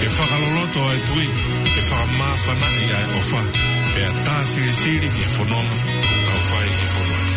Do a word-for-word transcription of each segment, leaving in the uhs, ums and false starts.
ʻE fakaloloto ʻa e tui, ʻe fakamāfanaʻi ʻa e ʻofa, pea tā silisili ki he fononga ʻoku tau fai he fonua ni.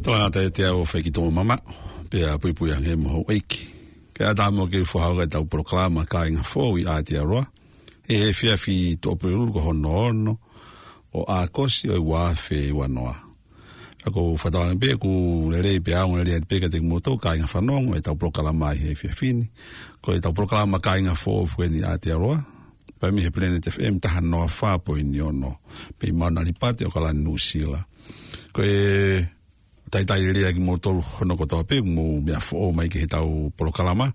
Talangata ʻiate au ʻo Faikitoʻo Mamaʻo, pea puipui ange mo houʻeiki. Kae ʻatā muʻa ke u fakahoko ʻetau polokalama Kāinga Foʻou ʻi Aotearoa, he efiafi Tuʻapulelulu ko hono ono ʻo ʻAokosi ʻo e ua afe ua noa. Pea ʻoku ou fakatauange pē ʻoku lelei pea ongo lelei atu pē kiate kimoutolu kāinga fanongo ʻetau polokalama ʻi he efiafi ni. Ko ʻetau polokalama Kāinga Foʻou foki eni ʻi Aotearoa, pea mei he Planet F M taha noa fā poini ono, pea ʻi Mauna Lipati ʻAokalani Nuʻusila. Ko e talitali lelei ʻa kimoutolu hono kotoa pē ʻoku mou meʻa foʻou mai ki heʻetau polokalama,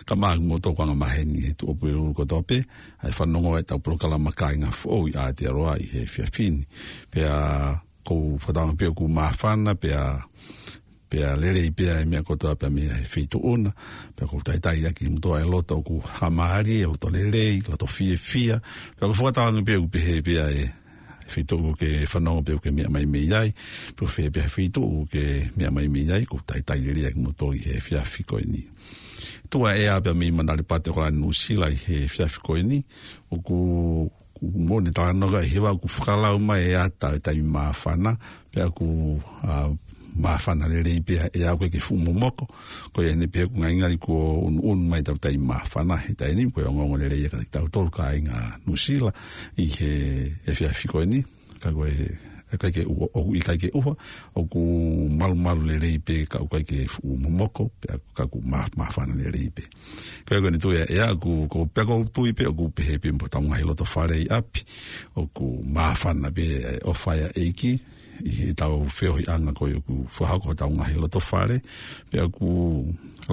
kae ʻatā kimoutolu ʻoku angamaheni he Tuʻapulelulu kotoa pē ʻa e fanongo ʻetau polokalama Kāinga Foʻou ʻi Aotearoa ʻi he efiafi ni. Pea ʻoku ou fakatauange pē ʻoku māfana, pea, pea lelei pē ʻa e meʻa kotoa pē mei he feituʻu na, pea ʻoku ou talitali ʻaki kimoutolu ʻa e loto ʻoku haʻamālie, loto lelei, loto fiefia, pea ʻoku ou fakatauange pē ʻoku pehē pē ʻa e feituʻu ʻoku ke fanongo pē ʻoku ke meʻa mai mei ai, pe ko fē pē ha feituʻu ʻoku ke meʻa mai mei ai, ʻoku ou talitali lelei ʻa kimoutolu ʻi he efiafi ko eni. Tuʻa ʻea pea mei Mauna Lipati ʻAokalani Nuʻusila ʻi he efiafi ko eni, ʻoku, ʻoku moʻoni e talanoa ka ʻi he vā ʻoku fakalau mai e ata e taimi māfana, pea ʻoku, ā, māfana lelei pē ʻa e ʻea ʻoku ʻikai ke fuʻu momoko, ko ia ʻeni pē ʻoku ngalingali kuo unuunu mai ʻetau taimi māfana he taimi ni, ko e ongoongo lelei ia kiate kitautolu kāinga Nuʻusila ʻi he efiafi ko eni, ka ko e, ʻikai ke ʻuha, ʻoku ʻikai ke ʻuha, ʻoku malumalu lelei pē ka ʻoku ʻikai ke fuʻu momoko, pea ka ʻoku mā-, māfana lelei pē. Ko ia ko eni tuʻa ʻea ʻoku, ko, pea ʻoku ou tui pē ʻoku pehē pē mo hotau ngaahi loto fale ʻi ʻapi, ʻoku māfana pē e ʻofa ʻa e ʻEiki, ʻi heʻetau feohiʻanga ko ia ʻoku fakahoko hotau ngaahi loto fale, pea ʻoku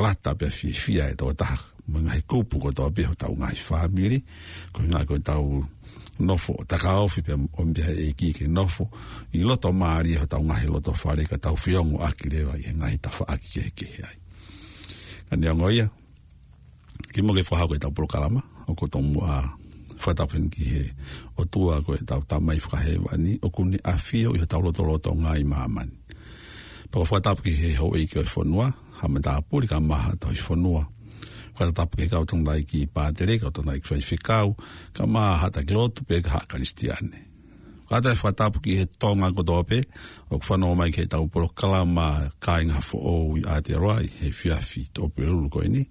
lata pea fiefia e tokotaha mo e ngaahi kupu kotoa pē hotau ngaahi fāmili, ko e ʻuhinga ko ʻetau nofo ʻo takaofi pea ʻomi pē ʻe he ʻEiki ke nofo ʻi loto mālie hotau ngaahi loto fale ka tau feongoʻaki leva ʻi he ngaahi tafaʻaki kehekehe ai. Ka neongo ia, kimuʻa ke fakahoko ʻetau polokalama, ʻoku ou tomuʻa fakatapu heni ki he ʻOtua ko ʻetau Tamai Fakahēvani, ʻoku ne ʻafio ʻi hotau lotolotonga ʻi māmani. Pea ʻoku ou fakatapu ki he houʻeiki ʻo e fonua, Haʻa Matāpule kae ʻumaʻā Haʻa Tauhi Fonua. Fakatapu ki he kau tangataʻeiki pātele, kau tangataʻeiki faifekau, kae ʻumaʻā haʻa taki lotu pea mo e haʻa Kalisitiane. Kātaki fakatapu ki he Tonga kotoa pē ʻoku fanongo mai ki heʻetau polokalama Kāinga Foʻou ʻi Aotearoa ʻi he efiafi ʻo Pulelulu ko eni.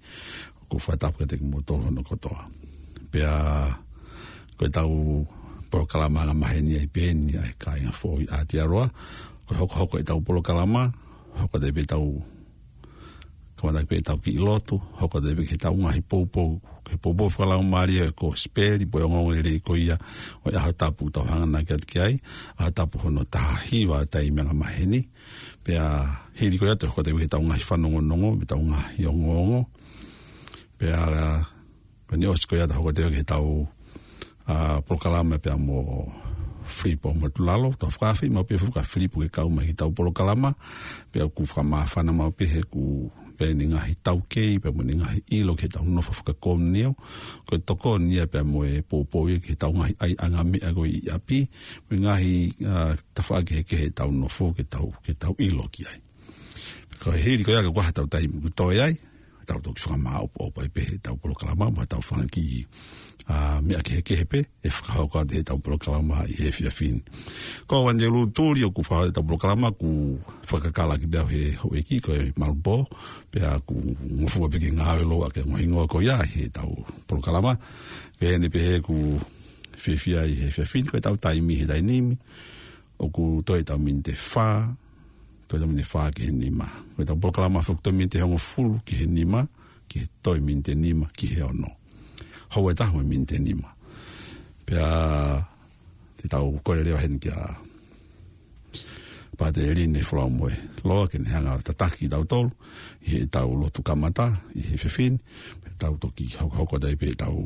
ʻOku fakatapu kiate kimoutolu hono kotoa. Pea ko ʻetau polokalama angamaheni ai pē eni ʻa e Kāinga Foʻou ʻi Aotearoa. Ko e hokohoko ʻetau polokalama, hoko atu pē ʻetau kamata pē ʻetau kiʻi lotu, hoko atu pē ki heʻetau ngaahi poupou, ki he poupou fakalaumālie ʻo e Kosipeli, pe ko e ongoongolelei ko ia ʻo e ʻaho tapu ʻoku tau hanganaki atu ki ai, ʻaho tapu hono taha hiva ʻo e taimi angamaheni. Pea hili ko ia te u hoko atu pē ki heʻetau ngaahi fanongonongo, mo ʻetau ngaahi ongoongo. Pea ko eni ʻosi ko ia te u hoko atu ki heʻetau, ʻa, polokalama pea mo Filipo Motulalo. Tau fakaafeʻi maʻu pē Filipo ke kau mai ki heʻetau polokalama. Pea ʻoku fakamāfana maʻu pē he ʻoku pea ʻi ai ʻene ngaahi taukei, pea mo ʻene ngaahi ʻilo ki heʻetau nofo fakakomiunio. Ko e tokoni ia pea mo e poupou ia ki heʻetau ngaahi ʻaiʻanga meʻa ko ē ʻi ʻapi, mo e ngaahi, ʻa, tafaʻaki kehekehe ʻetau nofo ke tau, ke tau ʻilo ki ai. Ko e hili ko ia ka kuo hā ʻetau taimi kuo toe ai, tau toki fakamāʻopoʻopo ai pē heʻetau polokalama, mo ʻetau fanga kiʻi, ʻa, meʻa kehekehe pē ʻe fakahoko atu heʻetau polokalama ʻi he efiafi ni. Ko au ʻAngelū Tuli ʻoku fakahoko ʻetau polokalama, ʻoku fakakālaki pē au ʻe he houʻeiki ko e Malupō, pea ʻoku ngofua pē ke ngāue lōua ke ngohingoa ko ia heʻetau polokalama. Pehē ni pē he ʻoku fiefia ʻi he efiafi ni, ko ʻetau taimi he taimi ni ʻoku toe ʻetau miniti ʻe fā, toe ʻetau miniti ʻe fā ki he nima. Ko ʻetau polokalama foki toe miniti ʻe hongofulu ki he nima, ki he toe miniti ʻe nima ki he ono. Houa ʻe taha mo e miniti ʻe nima. Pea te tau kole leva heni kia Pātele Line Folamoeloa ke ne hanga ʻo tataki kitautolu ʻi heʻetau lotu kamata ʻi he efiafi ni. Pea tau toki hokohoko atu ai pē ʻetau,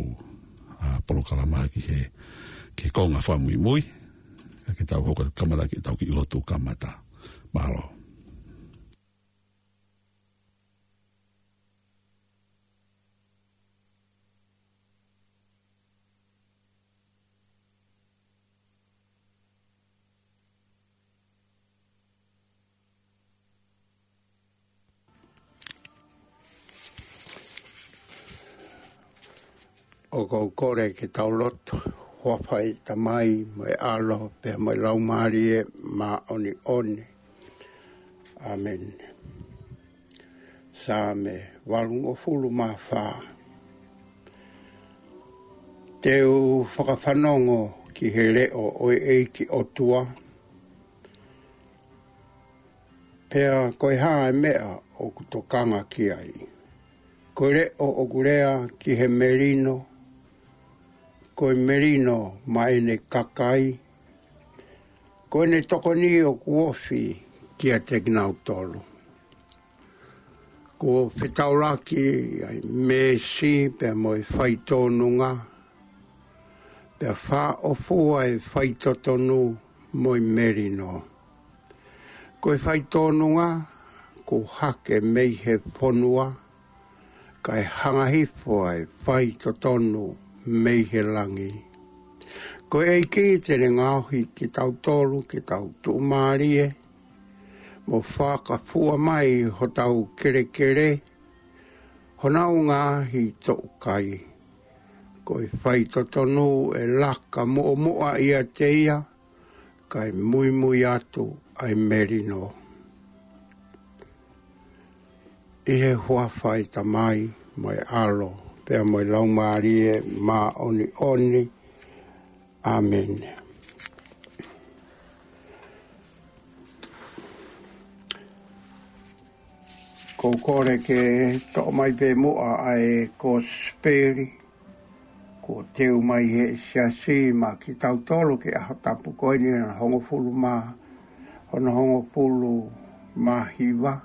ʻa, polokalama ki he, ki he konga fakamuimui. Ka ke tau hoko kamata ki heʻetau kiʻi lotu kamata. Mālō. ʻOku ou kole ke tau lotu. Huafa ʻo e Tamai, mo e ʻAlo, pea mo e Laumālie Māʻoniʻoni. ʻĀmeni. Saame valungofulu mā fā. Te u fakafanongo ki he leʻo ʻo e ʻEiki ʻOtua, pea ko e hā e meʻa ʻoku tokanga ki ai. Ko e leʻo ʻoku lea ki he melino, ko e melino maʻa ʻene kakai, ko ʻene tokoni ʻoku ofi kiate kinautolu. Kuo fetaulaki ʻa e meesi pea mo e faitōnunga, pea fāʻofua e faitotonu mo e melino. Ko e faitōnunga kuo hake mei he fonua, kae hanga hifo ʻa e faitotonu mei he langi. Ko e ʻEiki te ne ngaohi kitautolu ke tau tuʻumālie, mo fakafua mai hotau kelekele, honau ngaahi toʻukai. Ko e faitotonu ʻe laka muʻomuʻa ʻiate ia, kae muimui atu ʻa e melino. ʻI he huafa ʻo e Tamai, mo e ʻAlo, pea mo e Laumālie Māʻoniʻoni. ʻĀmeni. ʻOku ou kole ke toʻo mai pē muʻa ʻa e Kosipeli kuo teu mai ʻe he Siasi maʻa kitautolu ki he ʻaho tapu ko eni, hono hongofulu mā, hono hongofulu mā hiva.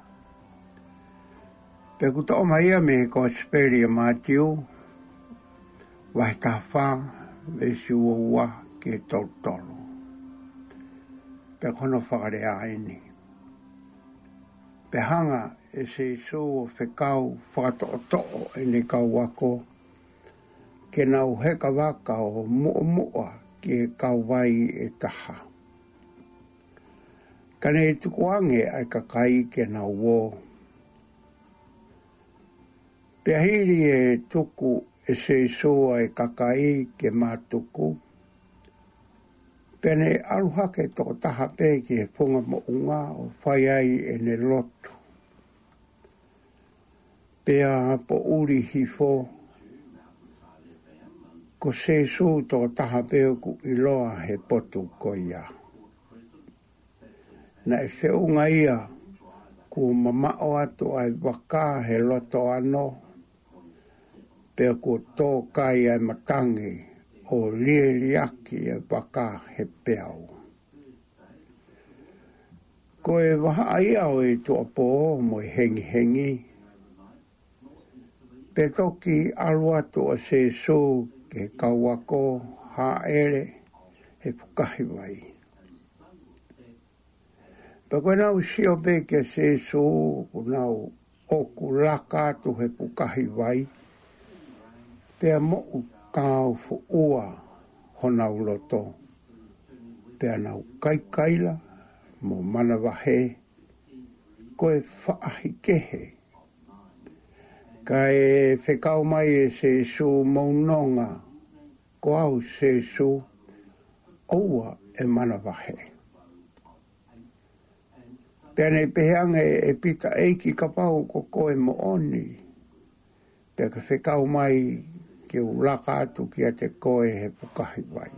Pea ʻoku toʻo mai ia mei he Kosipeli ʻa Mātiu, vahe taha fā, veesi ua ua ki he tolu tolu. Pea ko hono fakalea eni. Pea hanga ʻe Sīsū ʻo fekau fakatoʻotoʻo ʻene kau ako, ke nau heka vaka ʻo muʻomuʻa ki he kauvai ʻe taha. Ka ne tukuange ʻa e kakai ke nau ō. Pea hili ʻe tuku ʻe Sīsū ʻa e kakai ke mātuku, Pea ne ʻalu hake tokotaha pē ki he funga moʻunga ʻo fai ai ʻene lotu. Pea poʻuli hifo, ko Sēsū tokotaha pē ʻoku ʻiloa he potu ko ia. Naʻe feʻunga ia kuo mamaʻo atu ʻa e vaka he loto ano, pea kuo tō kai ʻa e matangi ʻo lieliaki ʻa e vaka he peau. Ko e vahaʻa ia ʻo e tuʻapō mo e hengihengi, pea toki ʻalu atu ʻa Sēsū ki he kau ako hāʻele he fukahi vai. Pea ko ʻenau sio pē kia Sēsū, ʻoku nau ʻoku laka atu he fukahi vai, pea moʻutāufuʻua honau loto, pea nau kaikaila mo manavahē, ko e faʻahikehe. Kae fekau mai ʻe Sēsū, mou nonga, ko au Sēsū, ʻoua ʻe manavahē. Pea ne pehē ange ʻe Pita, ʻEiki, kapau ko koe moʻoni, pea ke fekau mai ke u laka atu kiate koe he fukahi vai.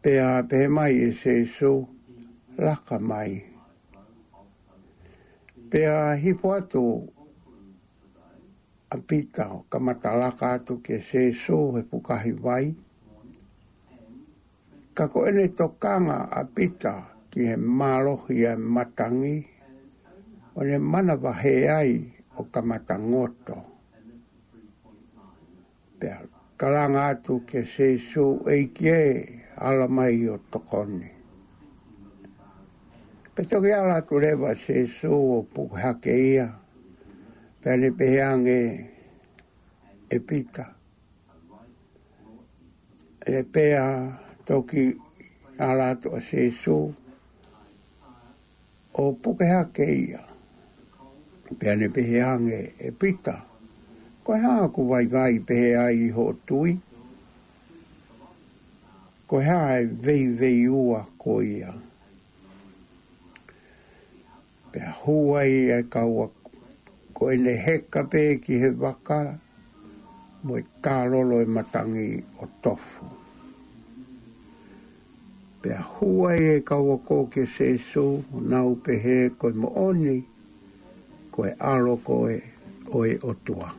Pea pehē mai ʻe Sēsū, laka mai. Pea hifo atu ʻa Pita ʻo kamata laka atu kia Sēsū he fukahi vai. Ka ko ʻene tokanga ʻa Pita ki he mālohi ʻa e matangi, ʻo ne manavahē ai ʻo kamata ngoto. Pea kalanga atu kia Sēsū, ʻEiki ē, ala mai ʻo tokoni. Pea toki ala atu leva Sēsū ʻo puke hake ia, pea ne pehē ange ʻe Pita, ē, pea toki ala atu ʻa Sēsū ʻo puke hake ia. Pea ne pehē ange ʻe Pita, ko e hā ʻoku vaivai pehē ai hoʻo tui? Ko e hā e veiveiua ko ia? Pea hū ai ʻa e kau ako, ko ʻene heka pē ki he vaka, mo e tālolo ʻa e matangi ʻo tofu. Pea hū ai ʻa e kau ako kia Sēsū, ʻo nau pehē, ko e moʻoni, ko e ʻAlo koe ʻo e ʻOtua.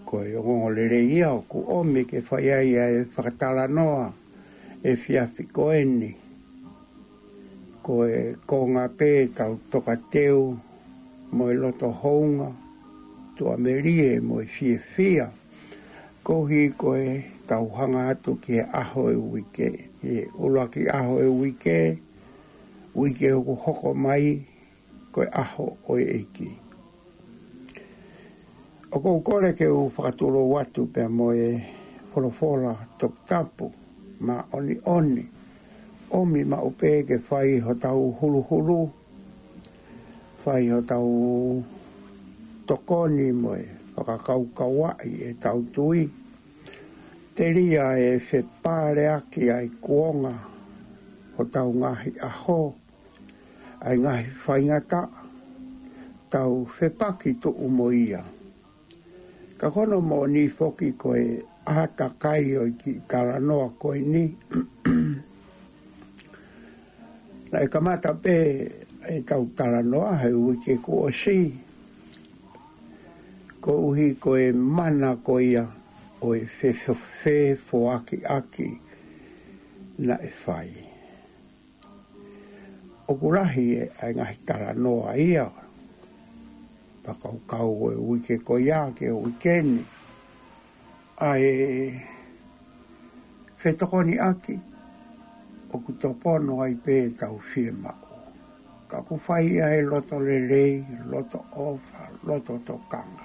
Ko e ongoongolelei ia ʻoku ʻomi ke fai ai ʻa e fakatalanoa ʻo e efiafi ko eni. Ko e konga pē ʻetau tokateu mo e loto hounga, tuʻamelie mo e fiefia, koeʻuhi ko ʻetau hanga atu ki he ʻaho ʻo e uike, ʻi he ʻuluaki ʻaho ʻo e uike, uike ʻoku hoko mai, ko e ʻaho ʻo e ʻEiki. ʻOku ou kole ke u fakatulou atu pea mo e folofola toputapu, māʻoniʻoni, ʻomi maʻu pē ke fai hotau huluhulu, fai hotau tokoni mo e fakakaukauaʻi ʻetau tui, telia ʻe fepaleaki ʻa e kuonga hotau ngaahi ʻaho, ʻa e ngaahi faingataʻa, tau fepaki tuʻu mo ia. Ka ko hono moʻoni foki ko e ʻātakai ʻo e kiʻi talanoa ko eni, naʻe kamata pē ʻetau talanoa he uike kuo ʻosi, koeʻuhi ko e mana ko ia ʻo e fefo-, fefoakiʻaki naʻe fai. ʻOku lahi ʻa e ngaahi talanoa ia, fakakaukau ʻo e uike ko ia ki he uike ni, ʻa e fetokoniʻaki, ʻoku tōpono ai pē ʻetau fiemaʻu. Ka ʻoku fai ia he loto lelei, loto ʻofa, loto tokanga.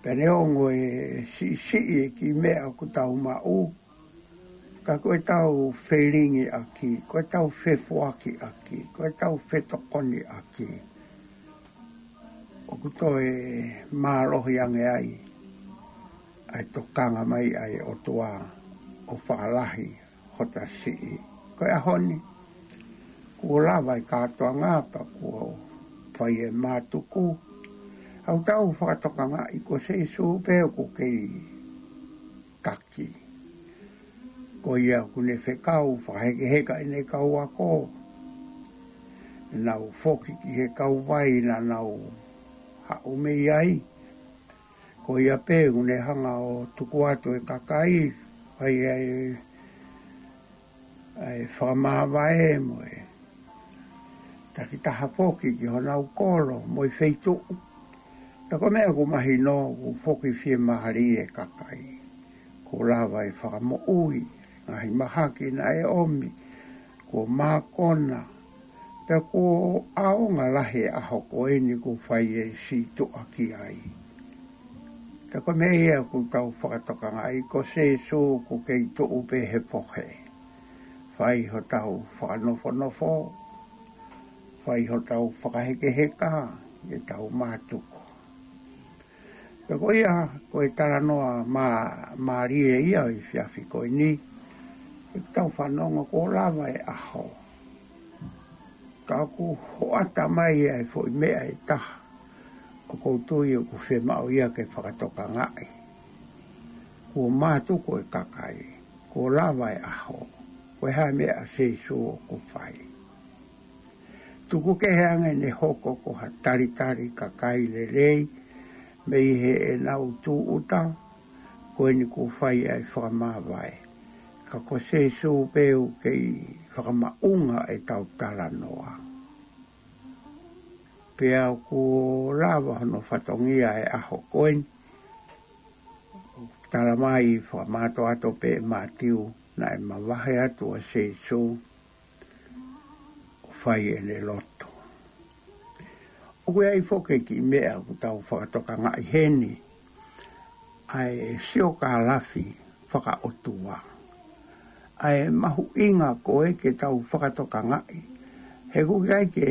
Pea neongo e siʻisiʻi e kiʻi meʻa ʻoku tau maʻu, ka ko ʻetau felingiʻaki, ko ʻetau fefoakiʻaki, ko ʻetau fetokoniʻaki, ʻOku toe mālohi ange ai ʻa e tokanga mai ʻa e ʻOtua ʻo fakalahi hota siʻi. Ko e ʻaho ni, kuo lava e kātoanga pea kuo fai e mātuku. ʻOku tau fakatokangaʻi ko Sīsū pē ʻoku kei taki. Ko ia ʻoku ne fekau fakahekeheka ʻene kau ako. Nau foki ki he kauvai naʻa nau haʻu mei ai. Ko ia pē ʻoku ne hanga ʻo tuku atu e kakai, fai ai ʻa e fakamāvae mo e takitaha foki ki honau kolo mo e feituʻu. Pea ko e meʻa ʻoku mahino, ʻoku foki fiemālie e kakai. Kuo lava e fakamoʻui, ngaahi mahaki naʻe ʻomi, kuo mākona, pea kuo ʻaonga lahi e ʻaho ko eni kuo fai e sītuʻa ki ai. Ka ko e meʻa ia ʻoku tau fakatokangaʻi ko Sīsū ʻoku kei tuʻu pē he fohe. Fai hotau fakanofonofo, fai hotau fakahekeheka, ʻetau mātuku. Pea ko ia, ko e talanoa mā-, mālie ia ʻi he efiafi ko eni, ʻoku tau fanongo kuo lava e ʻaho. Ka ʻoku hoʻata mai ʻa e foʻi meʻa ʻe taha, ʻoku ou tui ʻoku fiemaʻu ia ke fakatokangaʻi. Kuo mātuku e kakai, kuo lava e ʻaho, ko e hā e meʻa ʻa Sīsū ʻoku fai. Tuku kehe ange ʻene hoko ko ha talitali kakai lelei, mei heʻenau tūʻuta, ko eni kuo fai ʻa e fakamāvae. Ka ko Sīsū pē ʻoku kei fakamaʻunga ʻetau talanoa. Pea kuo lava hono fatongia e ʻaho ko eni. Tala mai fakamātoato pē ʻe Mātiu naʻe mavahe atu ʻa Sīsū ʻo fai ʻene lotu. ʻOku ʻi ai foki e kiʻi meʻa ʻoku tau fakatokangaʻi heni, ʻa e siokālafi fakaʻotua. ʻA e mahuʻinga ko ē ke tau fakatokangaʻi. He ʻoku ʻikai ke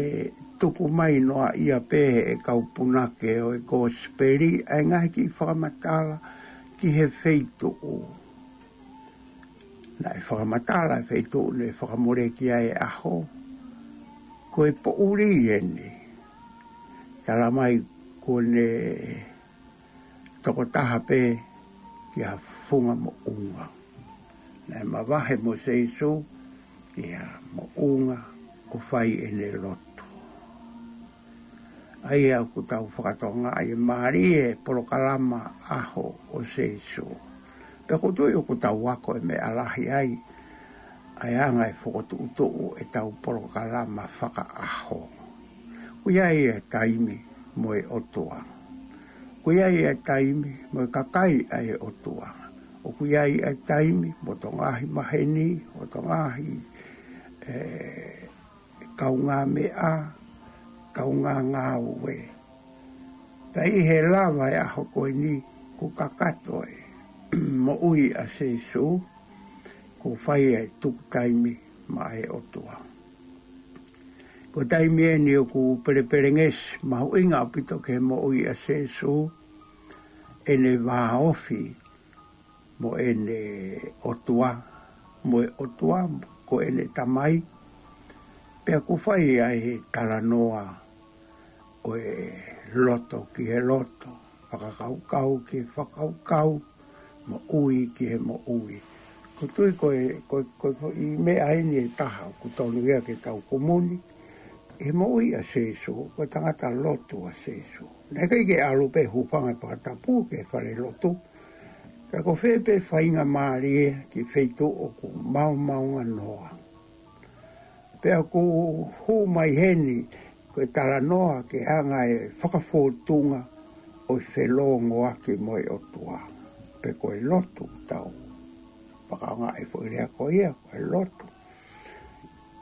tuku mai noa ia pē he kau punake ʻo e kosipeli, ʻa e ngaahi kiʻi fakamatala ki he feituʻu. Naʻe fakamatala e feituʻu naʻe fakamoleki ai e ʻaho. Ko e poʻuli eni. Tala mai kuo ne tokotaha pē ki ha funga moʻunga. Naʻe mavahe mo Sīsū ki ha moʻunga ʻo fai ʻene lotu. ʻA ia ʻoku tau fakatokangaʻi mālie e polokalama ʻaho ʻo Sīsū. Pea ʻoku ou tui ʻoku tau ako e meʻa lahi ai, ʻa e anga e fokotuʻutuʻu ʻetau polokalama fakaʻaho. ʻOku ʻi ai e taimi mo e ʻOtua. ʻOku ʻi ai e taimi mo e kakai ʻa e ʻOtua. ʻOku ʻi ai e taimi mo hoto ngaahi maheni, hoto ngaahi, ē, kaungāmeʻa, kaungāngāue. Pea ʻi he lava e ʻaho ko eni kuo kakato e moʻui ʻa Sīsū, kuo fai e tuku taimi maʻa e ʻOtua. Ko e taimi eni ʻoku pelepelengesi mahuʻinga ʻaupito ki he moʻui ʻa Sīsū, ʻene vāofi mo ʻene ʻOtua, mo e ʻOtua ko ʻene Tamai, pea kuo fai ai e talanoa ʻo e loto ki he loto, fakakaukau ki he fakakaukau, moʻui ki he moʻui. ʻOku ou tui ko e, ko e, ko e foʻi meʻa eni ʻe taha ʻoku tonu ia ke tau kumuni, he moʻui ʻa Sīsū, ko e tangata lotu ʻa Sīsū. Naʻe ʻikai ke ʻalu pē hūfanga he fakatapu ki he falelotu, ka ko fē pē faingamālie ki he feituʻu ʻoku maomaonganoa. Pea ʻoku hū mai heni, ko e talanoa ki he anga e fakafōtunga ʻo e felōngoaki mo e ʻOtua. Pe ko e lotu tau. Fakaʻaongaʻi e foʻi lea ko ia, ko e lotu.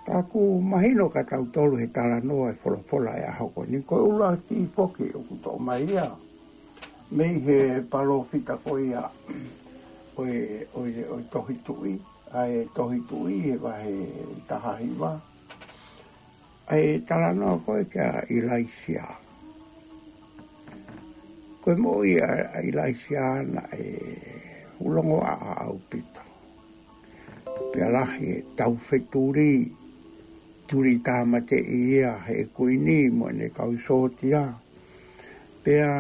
Ka ʻoku mahino kia tautolu he talanoa e folofola e ʻaho ko eni, ko e ʻuluaki foki ʻoku toʻo mai ia mei he palōfita ko ia ʻo e, ʻo e, ʻo e Tohi Tuʻi, ʻa e Tohi Tuʻi he vahe taha hiva. ʻA e talanoa ko ē kia ʻIlaisiā. Ko e moʻui ʻa ʻIlaisiā naʻe fuʻu longoaʻa ʻaupito. Pea lahi e taufetuli, tuli tāmateʻi ia ʻe he kuini mo ʻene kau sōtia. Pea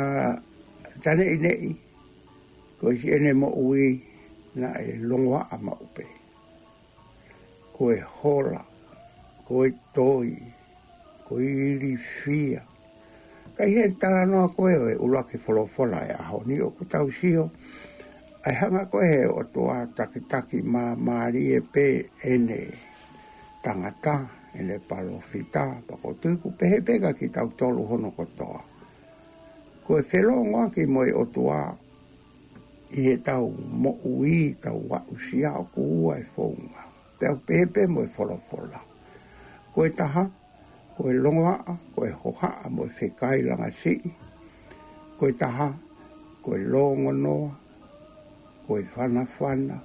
taʻeneʻineʻi, ko e siʻene moʻui naʻe longoaʻa maʻu pē. Ko e hola, ko e toi, ko e ilifia. Ka ʻi he talanoa ko ē ʻo e ʻuluaki folofola ʻo e ʻaho ni, ʻoku tau sio ʻa e hanga ko ē ʻe he ʻOtua ʻo takitaki māmālie pē ʻene tangata, ʻene palōfita, pea ʻoku ou tui ʻoku pehē pē kiate kitautolu hono kotoa. Ko e felōngoaki mo e ʻOtua ʻi heʻetau moʻui, tau aʻusia, ʻoku ua e founga. Pea ʻoku pehē pē mo e folofola. Ko e taha, ko e longoaʻa, ko e hohaʻa mo e fekailangasiʻi. Ko e taha, ko e lōngonoa, ko e fanafana.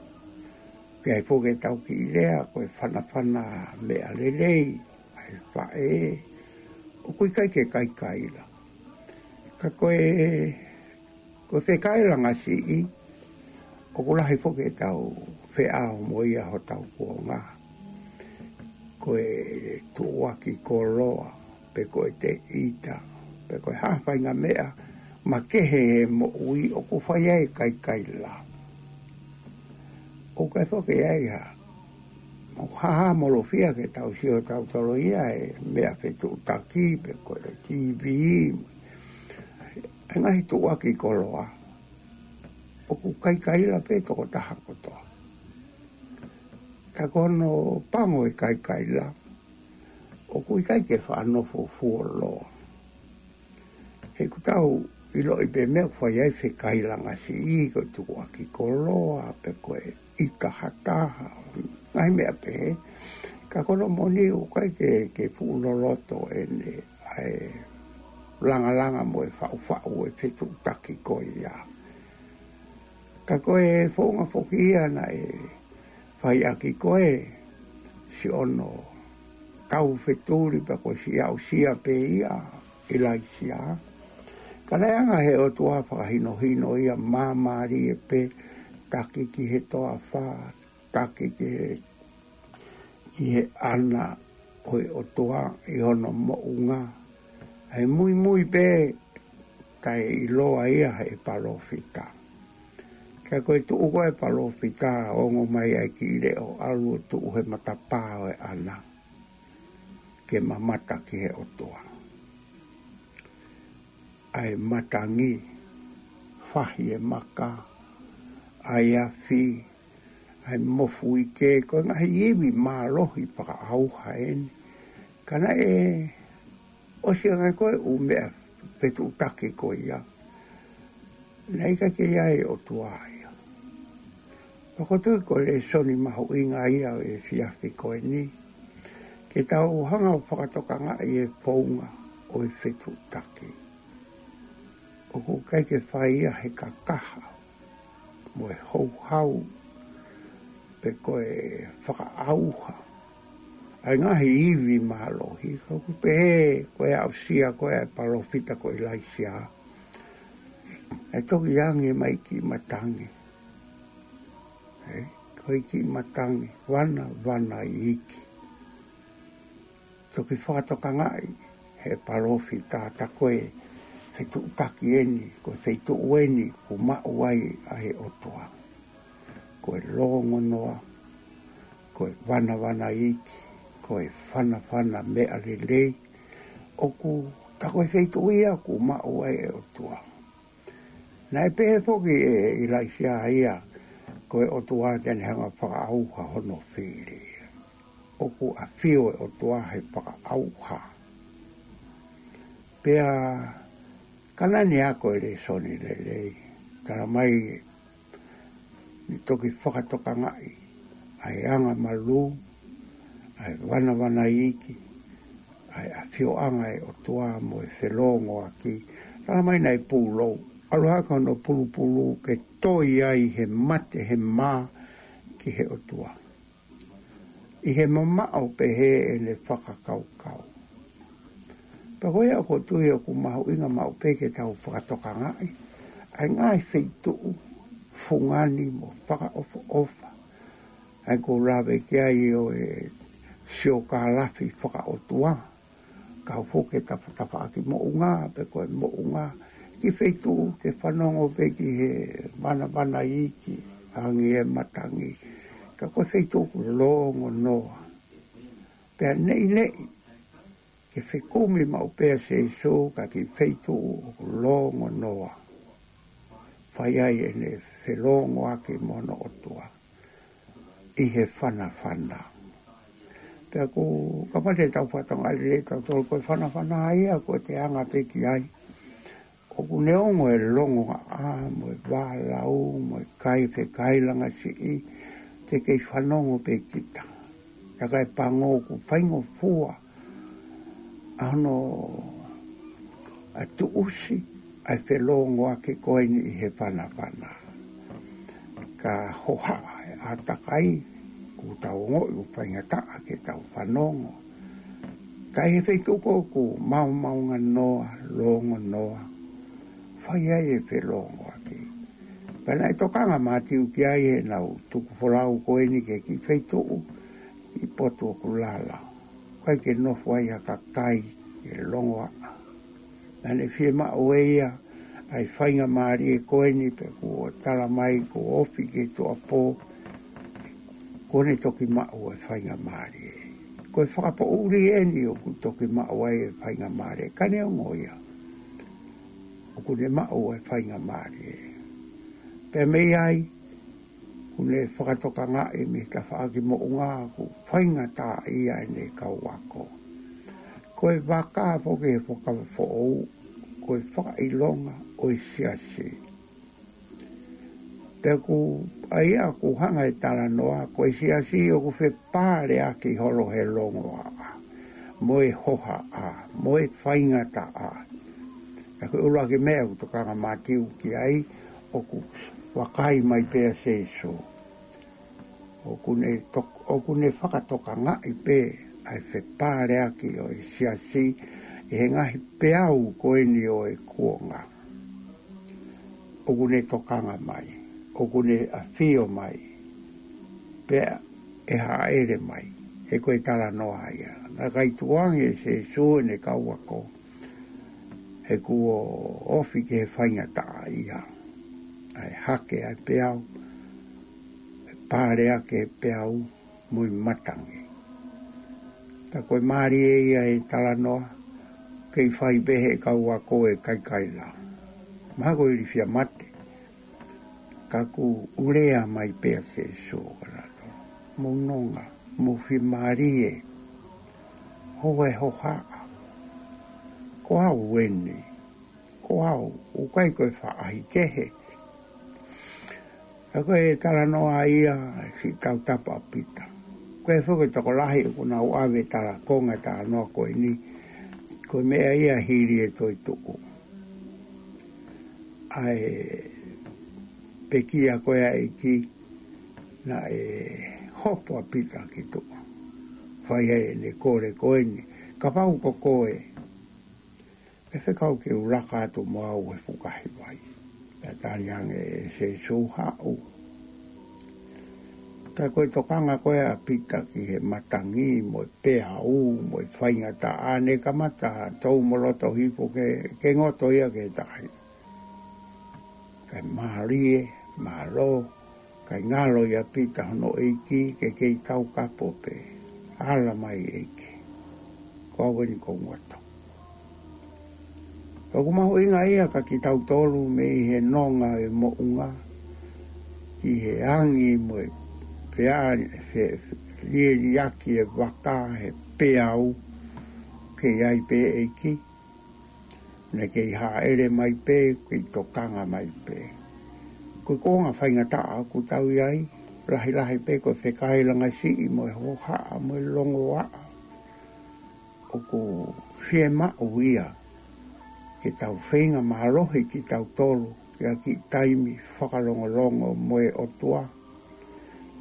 Pea ʻi he foʻi ke tau kiʻi lea, ko e fanafana meʻa lelei, ʻa e faʻē, ʻoku ʻikai ke kaikaila. Ka ko e, ko e fekailangasiʻi, ʻoku lahi foki ʻetau feʻao mo ia hotau kuonga. Ko e tuʻuaki koloa, pe ko e teʻita, pe ko e hā ha faʻahinga meʻa makehe he moʻui ʻoku fai ai e kaikaila. ʻOku ʻikai foki ai ha, ʻoku hāhāmolofia ke tau sio tautolu ia he meʻa fetuʻutaki pe ko e T V, e ngaahi tuʻuaki koloa. ʻOku kaikaila pē tokotaha kotoa. Ka ko hono pango e kaikaila, ʻoku ʻikai ke faʻa nofo fuoloa. He ʻoku tau ʻiloʻi pē meʻa ʻoku fai ai fekailangasiʻi, ko e tuʻuaki koloa, pe ko e ʻita hataha, ngaahi meʻa pehē. Ka ko hono moʻoni ʻoku ʻikai ke, ke fuʻu loloto ʻene ʻa e langalanga mo e faʻufaʻu e fetuʻutaki ko ia. Ka ko e founga foki ia naʻe fai ʻaki ko e siʻono taufetuli pea ko e siʻi aʻusia pē ia ʻIlaisiā. Ka naʻe hanga ʻe he ʻOtua ʻo fakahinohino ia māmālie pē, taki ki he toafa, taki ki he, ki he ʻana ʻo e ʻOtua ʻi hono moʻunga. ʻA e muimui pē taʻeʻiloa ia ʻe he palōfita. Ka ko e tuʻu ko ē ʻa e palōfita, ongo mai ʻa e kiʻi leʻo ʻalu ʻo tuʻu he matapā ʻo e ʻana ke mamata ki he ʻOtua. ʻA e matangi, fahi e maka, ʻa e afi, ʻa e mofuike, ko e ngaahi ivi mālohi fakaʻauha eni. Ka naʻe ʻosi ange ko e ʻū meʻa fetuʻutaki ko ia, naʻe ʻikai ke ʻi ai e ʻOtua ia. Pea ʻoku ou tui ko e lēsoni mahuʻinga ia ʻo e efiafi ko eni, ke tau hanga ʻo fakatokangaʻi e founga ʻo e fetuʻutaki. ʻOku ʻikai ke fai ia he kakaha mo e houhau, pe ko e fakaʻauha ʻa e ngaahi ivi mālohi. Ka ʻoku pehē ko e aʻusia ko ē ʻa e palōfita ko ʻIlaisiā, ʻe toki ange mai kiʻi matangi. ʻE, ko e kiʻi matangi, vana, vana iiki. Toki fakatokangaʻi ʻe he palōfita, tā ko e fetuʻutaki eni, ko e feituʻu eni ʻoku maʻu ai ʻa e ʻOtua. Ko e lōngonoa, ko e vanavana iiki, ko e fanafana meʻa lelei, ʻoku tā ko e feituʻu ia ʻoku maʻu ai e ʻOtua. Naʻe pehē foki ʻe ʻIlaisiā ia, ko e ʻOtua te ne hanga ʻo fakaʻauha hono fili. ʻOku ʻafio e ʻOtua he fakaʻauha. Pea ka naʻa ne ako e lēsoni lelei, tala mai ne toki fakatokangaʻi ʻa e angamalū, ʻa e vanavana iiki, ʻa e ʻafioʻanga e ʻOtua mo e felōngoaki. Tala mai naʻe pulou, ʻalu hake hono pulupulu ke toi ai he mate he mā ki he ʻOtua. ʻI he mamaʻo pehē ʻene fakakaukau. Pea ko ia ʻoku ou tui ʻoku mahuʻinga maʻu pē ke tau fakatokangaʻi. ʻa e ngaahi feituʻu fungani mo fakaʻofoʻofa. ʻA ia ʻoku ou lave ki ai ʻo e siokālafi fakaʻotua. Kau foki e tafa-, tafaʻaki moʻunga, pe ko e moʻunga, ki he feituʻu ke fanongo pē ki he vanavana iiki, angi e matangi. Ka ko e feituʻu ʻoku longo noa. Pea neʻineʻi, ke fekumi maʻu pē ʻa Sīsū ka ki he feituʻu ʻoku longo noa. Fai ai ʻene felōngoaki mo hono ʻOtua ʻi he fanafana. Pea ʻoku, kapau te tau fakatokangaʻi lelei tautolu, ko e fanafana ia ʻoku te anga pē ki ai. ʻOku ne ongo e longoaʻa, mo e vālau, mo e kai fekailangasiʻi, te kei fanongo pē kita. Ka ko e pango ʻoku faingofua ʻa hono ʻa tuʻusi ʻa e felōngoaki ko eni ʻi he fanafana. Ka hohaʻa e ʻātakai, ʻoku tau ongoʻi ʻoku faingataʻa ke tau fanongo. Ka ʻi he feituʻu ko ē ʻoku maomaonganoa, longonoa, fai ai e felōngoaki. Pea naʻe tokanga Mātiu ki ai heʻenau tuku folau ko eni ki he kiʻi feituʻu, kiʻi potu ʻoku lala. ʻIkai ke nofo ai ha kakai, ke longoaʻa. Naʻa ne fiemaʻu ʻe ia ʻa e faingamālie ko eni pea kuo tala mai kuo ofi ki he tuʻuapō, kuo ne toki maʻu ʻa e faingamālie. Ko e fakapoʻuli eni ʻoku toki maʻu ai e faingamālie. Ka neongo ia, ʻoku ne maʻu ʻa e faingamālie. Pea mei ai, ʻoku ne fakatokangaʻi mei he tafaʻaki moʻunga ʻoku faingataʻaʻia ʻene kau ako. Ko e vaka foki he Fuakava Foʻou, ko e fakaʻilonga ʻo e siasi. Pea ʻoku ʻa ia ʻoku hanga e talanoa, ko e siasi ʻoku fepāleʻaki holo he longoaʻa, mo e hohaʻa, mo e faingataʻa. Ka ko e ʻuluaki meʻa ʻoku tokanga Mātiu ki ai, ʻoku vakai mai pē ʻa Sīsū. ʻOku ne tok-, ʻoku ne fakatokangaʻi pē ʻa e fepāleʻaki ʻo e siasi ʻi he ngaahi peau ko eni ʻo e kuonga. ʻOku ne tokanga mai, ʻoku ne ʻafio mai, pea ʻe hāʻele mai, he ko e talanoa ia. Naʻe ʻikai tukuange ʻe Sīsū ʻene kau ako, he kuo ofi ki he faingataʻaʻia. ʻA e hake ʻa e peau, ʻe pāleʻaki e peau mo e matangi. Ka ko e mālie ia e talanoa, kei fai pē he kau ako e kaikaila. Mahalo ko e ilifia mate. Ka ʻoku lea mai pē ʻa Sīsū ʻo talanoa. Mou nonga, mou fiemālie, houa e hohaʻa. Ko au eni, ko au, ʻoku ʻikai ko e faʻahi kehe. Ka ko e talanoa ia, siʻi tautapa ʻa Pita. Ko e foki tokolahi ʻoku nau ʻave tala konga talanoa ko eni, ko e meʻa ia hili e toetuʻu. ʻA e pekia ko ē ʻa e ʻEiki, naʻe hopo ʻa Pita ki tuʻa. Fai ai ʻene kole ko eni, kapau ko koe, ʻe fekau ke u laka atu mo au he fukahi vai. Pea tali ange ʻe Sīsū, haʻu. Ka ko e tokanga ko ē ʻa Pita ki he matangi mo e peau mo e faingataʻa, ne kamata tō mo loto hifo ke, ke ngoto ia ki he tahi. Kae mālie, mālō, kae ngalo ʻia Pita hono ʻEiki, ke kei taukapo pē. Ala mai ʻEiki. Ko au eni ʻoku ou ngoto. Ka ʻoku mahuʻinga ia kia kitautolu mei he nonga e moʻunga, ki he angi mo e pea, fe-, lieliaki e vaka he peau, kei ʻi ai pē ʻEiki. Ne kei hāʻele mai pē, kei tokanga mai pē. Ko e kuonga faingataʻa ʻoku tau ʻi ai, lahilahi pē ko e fekailangasiʻi mo e hohaʻa mo e longoaʻa. ʻOku fiemaʻu ia ke tau feinga mālohi kitautolu, ki ha kiʻi taimi fakalongolongo mo e ʻOtua.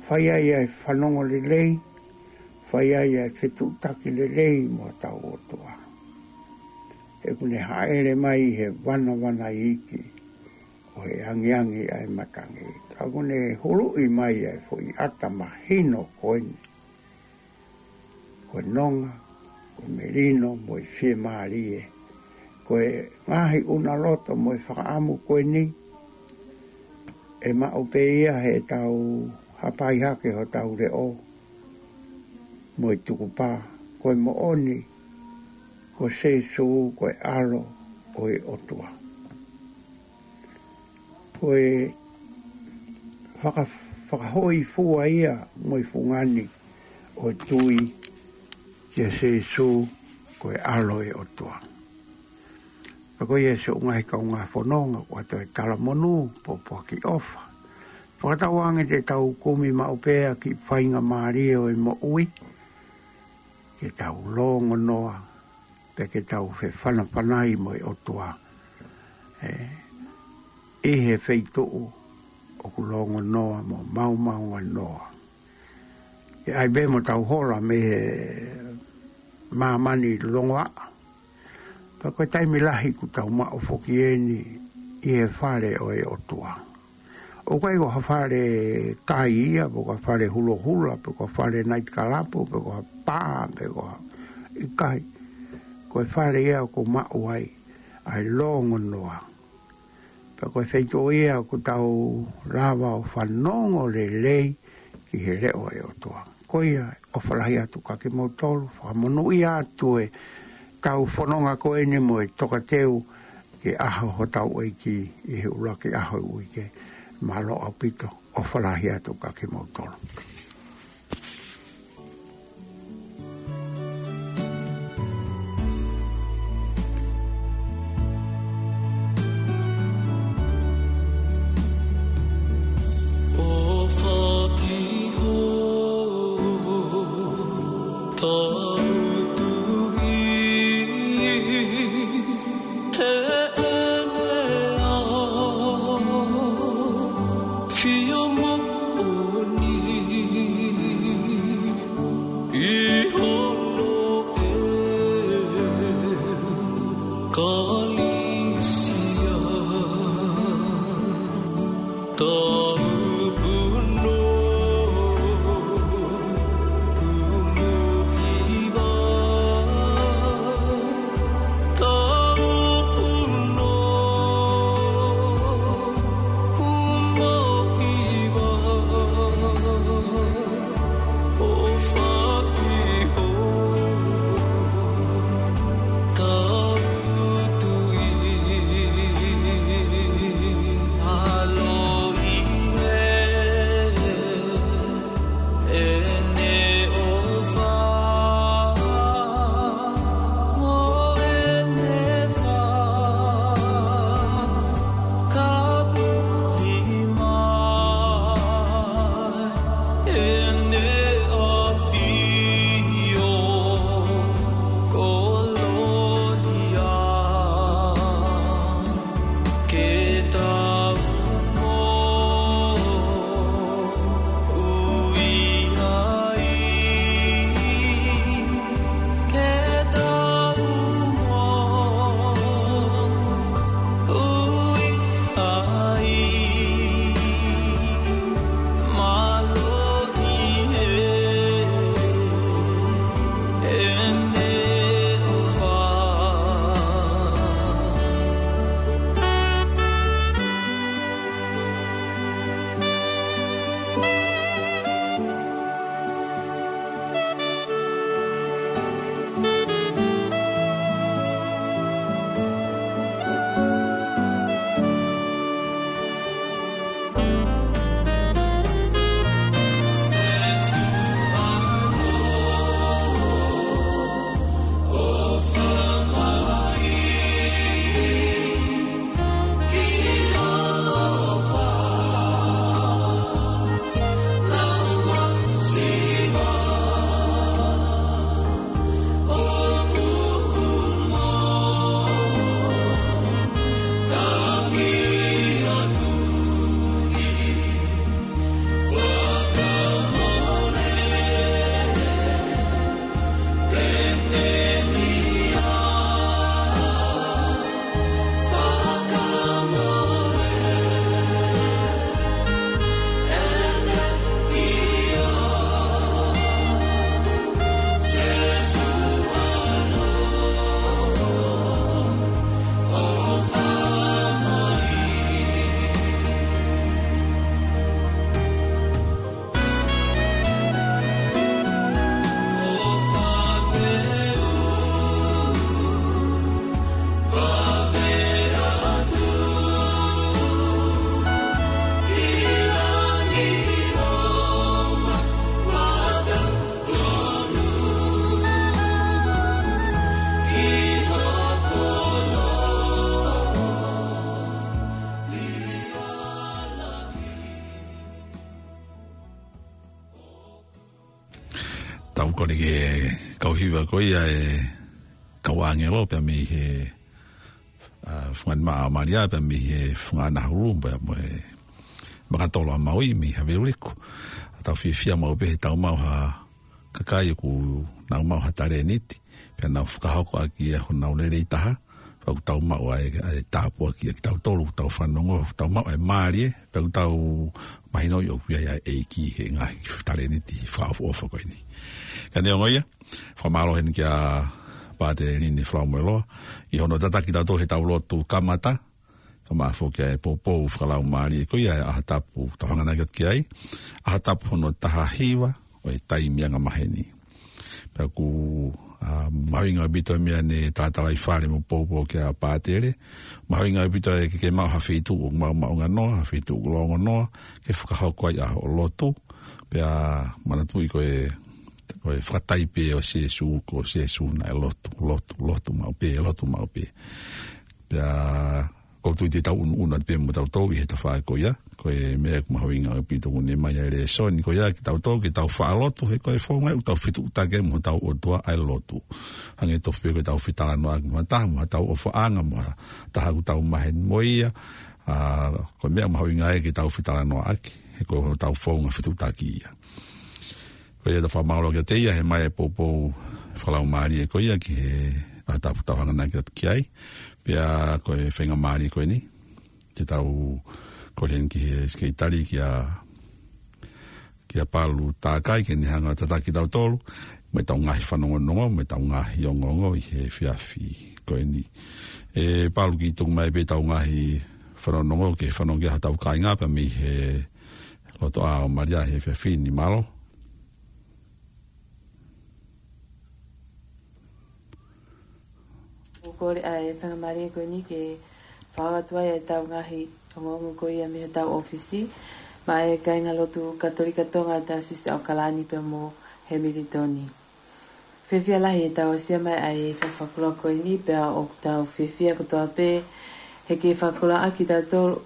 Fai ai ʻa e fanongo lelei, fai ai ʻa e fetuʻutaki lelei mo hotau ʻOtua. He ʻoku ne hāʻele mai he vanavana iiki, ʻo e angiangi ʻa e matangi. Ka ʻoku ne huluʻi mai ʻa e foʻi ʻata mahino ko eni. Ko e nonga, ko e melino mo e fiemālie. Ko e ngaahi ʻunaloto mo e fakaʻamu ko eni, ʻe maʻu pē ia heʻetau hapai hake hotau leʻo mo e tukupā, ko e moʻoni, ko Sīsū, ko e ʻAlo ʻo e ʻOtua. Ko e faka-, fakahōifua ia mo e fungani ʻo e tui kia Sīsū, ko e ʻAlo ʻo e ʻOtua. Pea ko ia siʻo ngaahi kaungā fononga, ʻoku ʻoatu e talamonū, pōpoaki ʻofa. Fakatauange te tau kumi maʻu pē ʻa e kiʻi faingamālie ʻo e moʻui, ke tau lōngonoa, pea ke tau fefanafanai mo e ʻOtua. ʻE, ʻi he feituʻu ʻoku lōngonoa mo maomaonganoa. ʻE ʻai pē mo tau hola mei he māmani longoaʻa. Pea ko e taimi lahi ʻoku tau maʻu foki eni ʻi he fale ʻo e ʻOtua. ʻOku ʻikai ko ha fale kai ia, pe ko ha fale hulohula, pe ko ha fale naitikalapu, pe ko ha pā, pe ko ha ʻikai. Ko e fale ia ʻoku maʻu ai ʻa e lōngonoa. Pea ko e feituʻu ia ʻoku tau lava ʻo fanongo lelei ki he leʻo ʻo e ʻOtua. Ko ia, ʻofa lahi atu kiate kimoutolu, fakamonūʻia atu e tau fononga ko eni mo e tokateu ki he ʻaho hotau ʻEiki ʻi he ʻuluaki ʻaho ʻo e uike. Mālō ʻaupito, ʻofa lahi atu kiate kimoutolu. Au kole ke kau hiva ko ia e kau ʻāngelo pea mei he, ʻa, fungani maʻa Malia pea mei he fungani hulu pea mo e makatolo ʻa Maui mei Haveuliku. ʻA tau fiefia maʻu pē he tau maʻu ha kakai ʻoku nau maʻu ha talēniti, pea nau fakahoko ʻaki ia honau lelei taha, pea ʻoku tau maʻu ai ʻa e tāpuaki ʻa kitautolu, ʻoku tau fanongo, ʻoku tau maʻu ʻa e mālie, pea ʻoku tau mahinoʻi ʻoku ʻi ai ʻa e ʻEiki he ngaahi talēniti fakaʻofoʻofa ko eni. Ka neongo ia, fakamālō heni kia Pātele Lini Falaumueloa, ʻi hono tataki tautolu he tau lotu kamata, ka maʻa foki ʻa e poupou fakalaumālie ko ia ʻa e ʻaho tapu, tau hanganaki atu ki ai, ʻaho tapu hono taha hiva ʻo e taimi angamaheni. Pea ʻoku, ʻa, mahuʻinga ʻaupito meʻa ne talatalaifale mo poupou kia Pātele, mahuʻinga ʻaupito ʻa e ke, ke maʻu ha feituʻu ʻoku maʻumaʻunga noa, ha feituʻu ʻoku longo noa, ke fakahoko ai ʻa hoʻo lotu, pea manatuʻi ko e, ko e fakataipe ʻo Sēsū, ko Sēsū naʻe lotu, lotu, lotu maʻu pē, lotu maʻu pē. Pea ʻoku ou tui te tau ʻunuʻunu atu pē mo tautolu ʻi he tafaʻaki ko ia, ko e meʻa ʻoku mahuʻinga ʻaupito ʻoku ne ʻomai ʻa e lēsoni ko ia kia tautolu ke tau faʻa lotu, he ko e founga ʻoku tau fetuʻutaki ai mo hotau ʻOtua ʻa e lotu. Hangē tofu pē ko e tau fetalanoaʻaki mo ha taha, mo ha tau ʻofaʻanga, mo ha taha ʻoku tau maheni mo ia, ʻa, ko e meʻa mahuʻinga ia ke tau fetalanoaʻaki, he ko hotau founga fetuʻutaki ia. Ko ia ʻoku tau fakamālō kiate ia he ʻomai e poupou fakalaumālie ko ia ki he ʻaho tapu tau hanganaki atu ki ai. Pea ko e faingamālie ko eni, te tau kole heni ki he sekelitali kia, kia Palu Takai ke ne hanga ʻo tataki tautolu, mo e tau ngaahi fanongonongo, mo e tau ngaahi ongoongo ʻi he efiafi ko eni. ʻE Palu, kiʻi tuku mai pē tau ngaahi fanongonongo ke fanongo ki ai hotau kāinga pea mei he lotoʻā ʻo Malia he efiafi ni, mālō. ʻOku ou kole ʻa e faingamālie ko eni ke fakahoko atu ai ʻa e tau ngaahi ongoongo ko ia mei hotau ʻōfisi, maʻa e kāingalotu Katolika Tonga Taisesi ʻAokalani pea mo Hemilitoni. Fiefia lahi ʻetau aʻusia mai ʻa e fakakoloa ko eni pea ʻoku tau fiefia kotoa pē he ke fakakoloaʻaki tautolu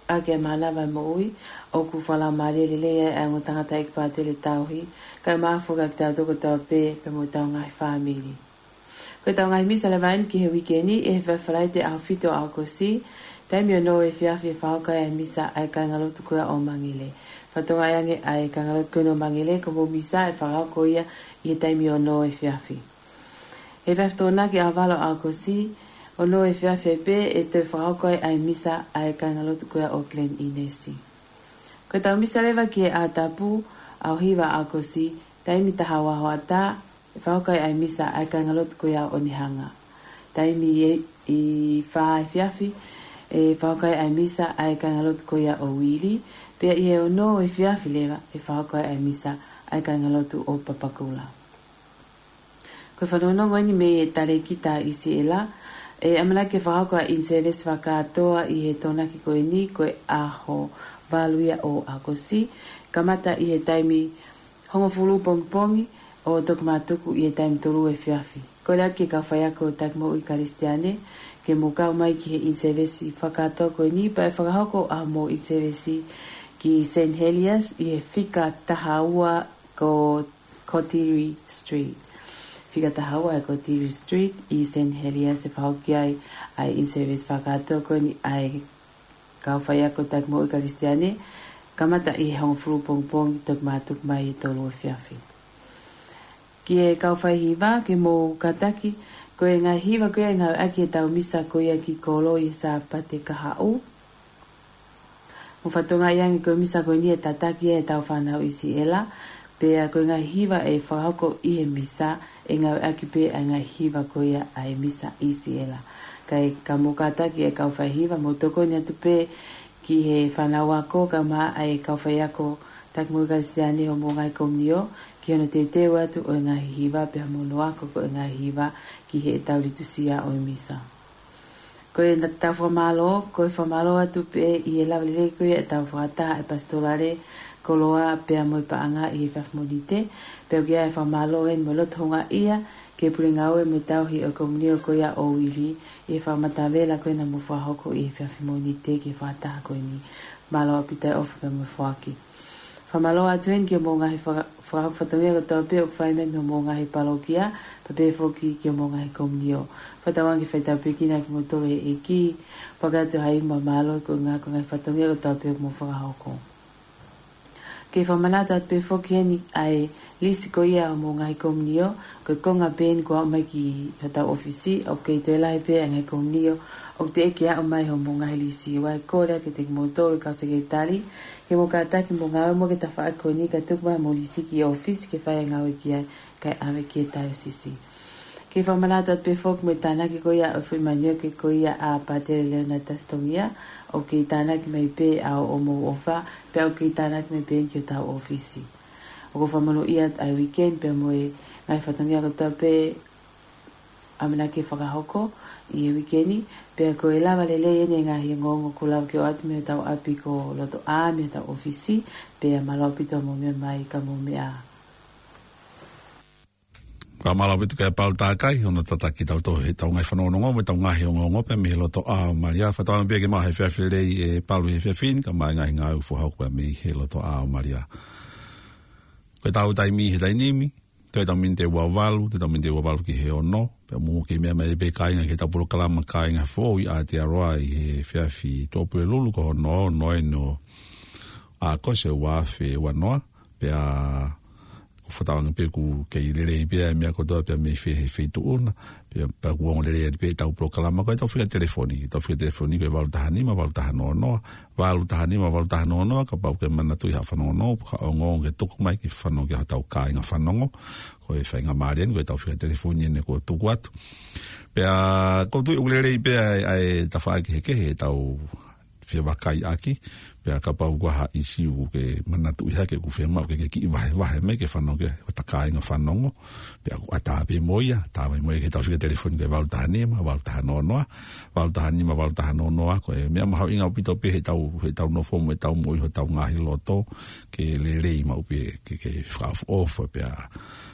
ʻaki ʻa e mānava ʻo e moʻui, ʻoku fakalaumālie lelei ai ʻa e ongo tangataʻeiki Pātele Tauhi, kae ʻumaʻā foki ʻa kitautolu kotoa pē pea mo ʻetau ngaahi fāmili. Ko ʻetau ngaahi misa leva eni ki he uike ni, ʻi he efiafi Falaite ʻaho fitu ʻo ʻAokosi, taimi ono efiafi ʻe fakahoko ai ʻa e misa ʻa e kāingalotu ko ia ʻo Mangele. Fakatokangaʻi ange ʻa e kāingalotu ko eni ʻo Mangele, ko homou misa ʻe fakahoko ia ʻi he taimi ono efiafi. ʻI he efiafi Tokonaki ʻaho valu ʻo ʻAokosi, ono efiafi ai pē ʻe toe fakahoko ai ʻa e misa ʻa e kāingalotu ko ia ʻo Glen Innes. Ko ʻetau misa leva ki he ʻaho tapu, ʻaho hiva ʻo ʻAokosi, taimi taha ua hoʻatā, ʻe fakahoko ai ʻa e misa ʻa e kāingalotu ko ia ʻo Onehunga. Taimi ʻe, ʻi he fā efiafi, ʻe fakahoko ai ʻa e misa ʻa e kāingalotu ko ia ʻo Wheelie, pea ʻi he ono efiafi leva, ʻe fakahoko ai ʻa e misa ʻa e kāingalotu ʻo Papakura. Ko e fanongonongo eni mei he Talēkita ʻi Siʻela, ʻe ʻamanaki ke fakahoko ʻa e in-service fakakātoa ʻi he Tokonaki ko eni, ko e ʻaho valu ia ʻo ʻAokosi, kamata ʻi he taimi hongofulu pongipongi ʻo toki mātuku ʻi he taimi tolu efiafi. Kole atu ki he kau faiako taki moʻui Kalisitiane, ke mou kau mai ki he in-service fakakātoa ko eni, pea ʻe fakahoko ʻa hoʻomou in-service ki Saint Heliers ʻi he fika taha ua ko Cottery Street. Fika taha ua ʻe Cottery Street ʻi Saint Heliers ʻe fakahoko ki ai ʻa e in-service fakakātoa ko eni ʻa e kau faiako taki moʻui Kalisitiane, kamata ʻi he hongofulu pongipongi toki mātuku mai ʻi he tolu efiafi. Ki he kau faihiva, ke mou kātaki, ko e ngaahi hiva ko ia ʻe ngāueʻaki ʻi he tau misa ko ia ki kolo ʻi he Sāpate kahaʻu. Mou fakatokangaʻi ange ko e misa ko eni ʻe tataki ai ʻetau fānau ʻi Siʻela, pea ko e ngaahi hiva ʻe fakahoko ʻi he misa, ʻe ngāueʻaki pē ʻa e ngaahi hiva ko ia ʻa e misa ʻi Siʻela. Kae ka mou kātaki ʻa e kau faihiva, mou tokoni atu pē ki he fānau ako, kae ʻumaʻā ʻa e kau faiako taki moʻui Kalisitiane ʻi hoʻomou ngaahi komiunio, ki hono teuteu atu ʻo e ngaahi hiva, pea mo hono ako ko e ngaahi hiva ki heʻetau litusia ʻo e misa. Ko ʻetau fakamālō, ko e fakamālō atu pē ʻi he lava lelei ko ia ʻetau fakataha ʻa e Pasitolale, Koloa pea mo e Paʻanga ʻi he efiafi Mōnite, pea ʻoku ʻi ai ʻa e fakamālō heni mo e loto houngaʻia ki he pule ngāue mo e tauhi ʻo e komiunio ko ia ʻo Wheelie ʻi he fakamatavela ko ē naʻa mou fakahoko ʻi he efiafi Mōnite ki he fakataha ko eni. Mālō ʻaupito e ʻofa pea mo e foaki. Fakamālō atu heni ki hoʻomou ngaahi faka-, fakahoko fatongia kotoa pē ʻoku fai mei hoʻomou ngaahi palokia, pea pehē foki ki hoʻomou ngaahi komiunio. Fakatauange ke fai tāpuekina kimoutolu ʻe he ʻEiki, pea ʻoku ʻoatu ha ivi mo e mālō koeʻuhi ko e ngaahi fatongia kotoa pē ʻoku mou fakahoko. Ke fakamanatu atu pē foki heni ʻa e lisi ko ia ʻo hoʻomou ngaahi komiunio, ko e konga pē eni kuo aʻu mai ki hotau ʻōfisi, ʻoku kei toe lahi pē ʻa e ngaahi komiunio ʻoku teʻeki aʻu mai hoʻomou ngaahi lisi. ʻOku ou kole atu kiate kimoutolu kau sekelitali, ke mou kātaki mo ngāue mo e tafaʻaki ko eni kae tuku mai hoʻomou lisi ki he ʻōfisi ke fai e ngāue ki ai kae ʻave ki he taiosisi. Ke fakamanatu atu pē foki mo e tānaki ko ia ʻo e foʻi manioke ko ia ʻa Pātele Leonard Tasitongia, ʻoku kei tānaki mai pē ʻa hoʻomou ʻofa, pea ʻoku kei tānaki mai pē ki hotau ʻōfisi. ʻOku ou fakamonūʻia atu ʻa e weekend pea mo e ngaahi fatongia kotoa pē ʻamanaki ke fakahoko ʻi he weekend, pea ko e lava lelei eni e ngaahi ongoongo kuo lava ke ʻoatu mei hotau ʻapi ko Lotoʻā, mei hotau ʻōfisi, pea mālō ʻaupito hoʻomou meʻa mai ka mou meʻa. Fakamālō ʻaupito kia Palu Takai, hono tataki kitautolu heʻetau ngaahi fanongonongo mo ʻetau ngaahi ongoongo pē mei he Lotoʻā ʻo Malia. Fakatauange pē ke maʻu ha efiafi lelei ʻe Palu he efiafi ni, kae ʻumaʻā e ngaahi ngāue ʻoku fakahoko pē mei he Lotoʻā ʻo Malia. Ko ʻetau taimi he taimi ni, toe ʻetau miniti ʻe ua valu, toe ʻetau miniti ʻe ua valu ki he ono, pea mou kei meʻa mai pē kāinga ki heʻetau polokalama Kāinga Foʻou ʻi Aotearoa ʻi he efiafi Tuʻapulelulu ko hono ono eni ʻo ʻAokosi ʻo e ua afe ua noa, pea ʻoku fakatauange pē ʻoku kei lelei pē ʻa e meʻa kotoa pē mei fē he feituʻu na, pea, pea ʻoku ongo lelei atu pē ʻetau polokalama. Ko ʻetau fika telefoni, ʻetau fika telefoni ko e valu taha nima, valu taha noa noa, valu taha nima, valu taha noa noa, kapau ʻoku ke manatuʻi ha fanongonongo, pe ko ha ongoongo ke tuku mai ke fanongo ki ai hotau kāinga fanongo, ko e faingamālie eni, ko ʻetau fika telefoni eni kuo tuku atu. Pea ʻoku ou tui ʻoku lelei pē ʻa e, ʻa e tafaʻaki kehekehe ʻetau fevakaiʻaki, pea kapau ʻoku ʻi ai ha ʻīsiu ʻoku ke manatuʻi hake ʻoku fiemaʻu ke ke kiʻi vahevahe mai ke fanongo ki ai hota kāinga fanongo, pea ʻoku ʻatā pē mo ia, tā mai mo ia ki heʻetau fika telefoni ko e valu taha nima, valu taha noa noa, valu taha nima, valu taha noa noa, ko e meʻa mahuʻinga ʻaupito pē heʻetau, heʻetau nofo mo ʻetau moʻui hotau ngaahi loto, ke lelei maʻu pē, ke, ke fakaʻofoʻofa, pea,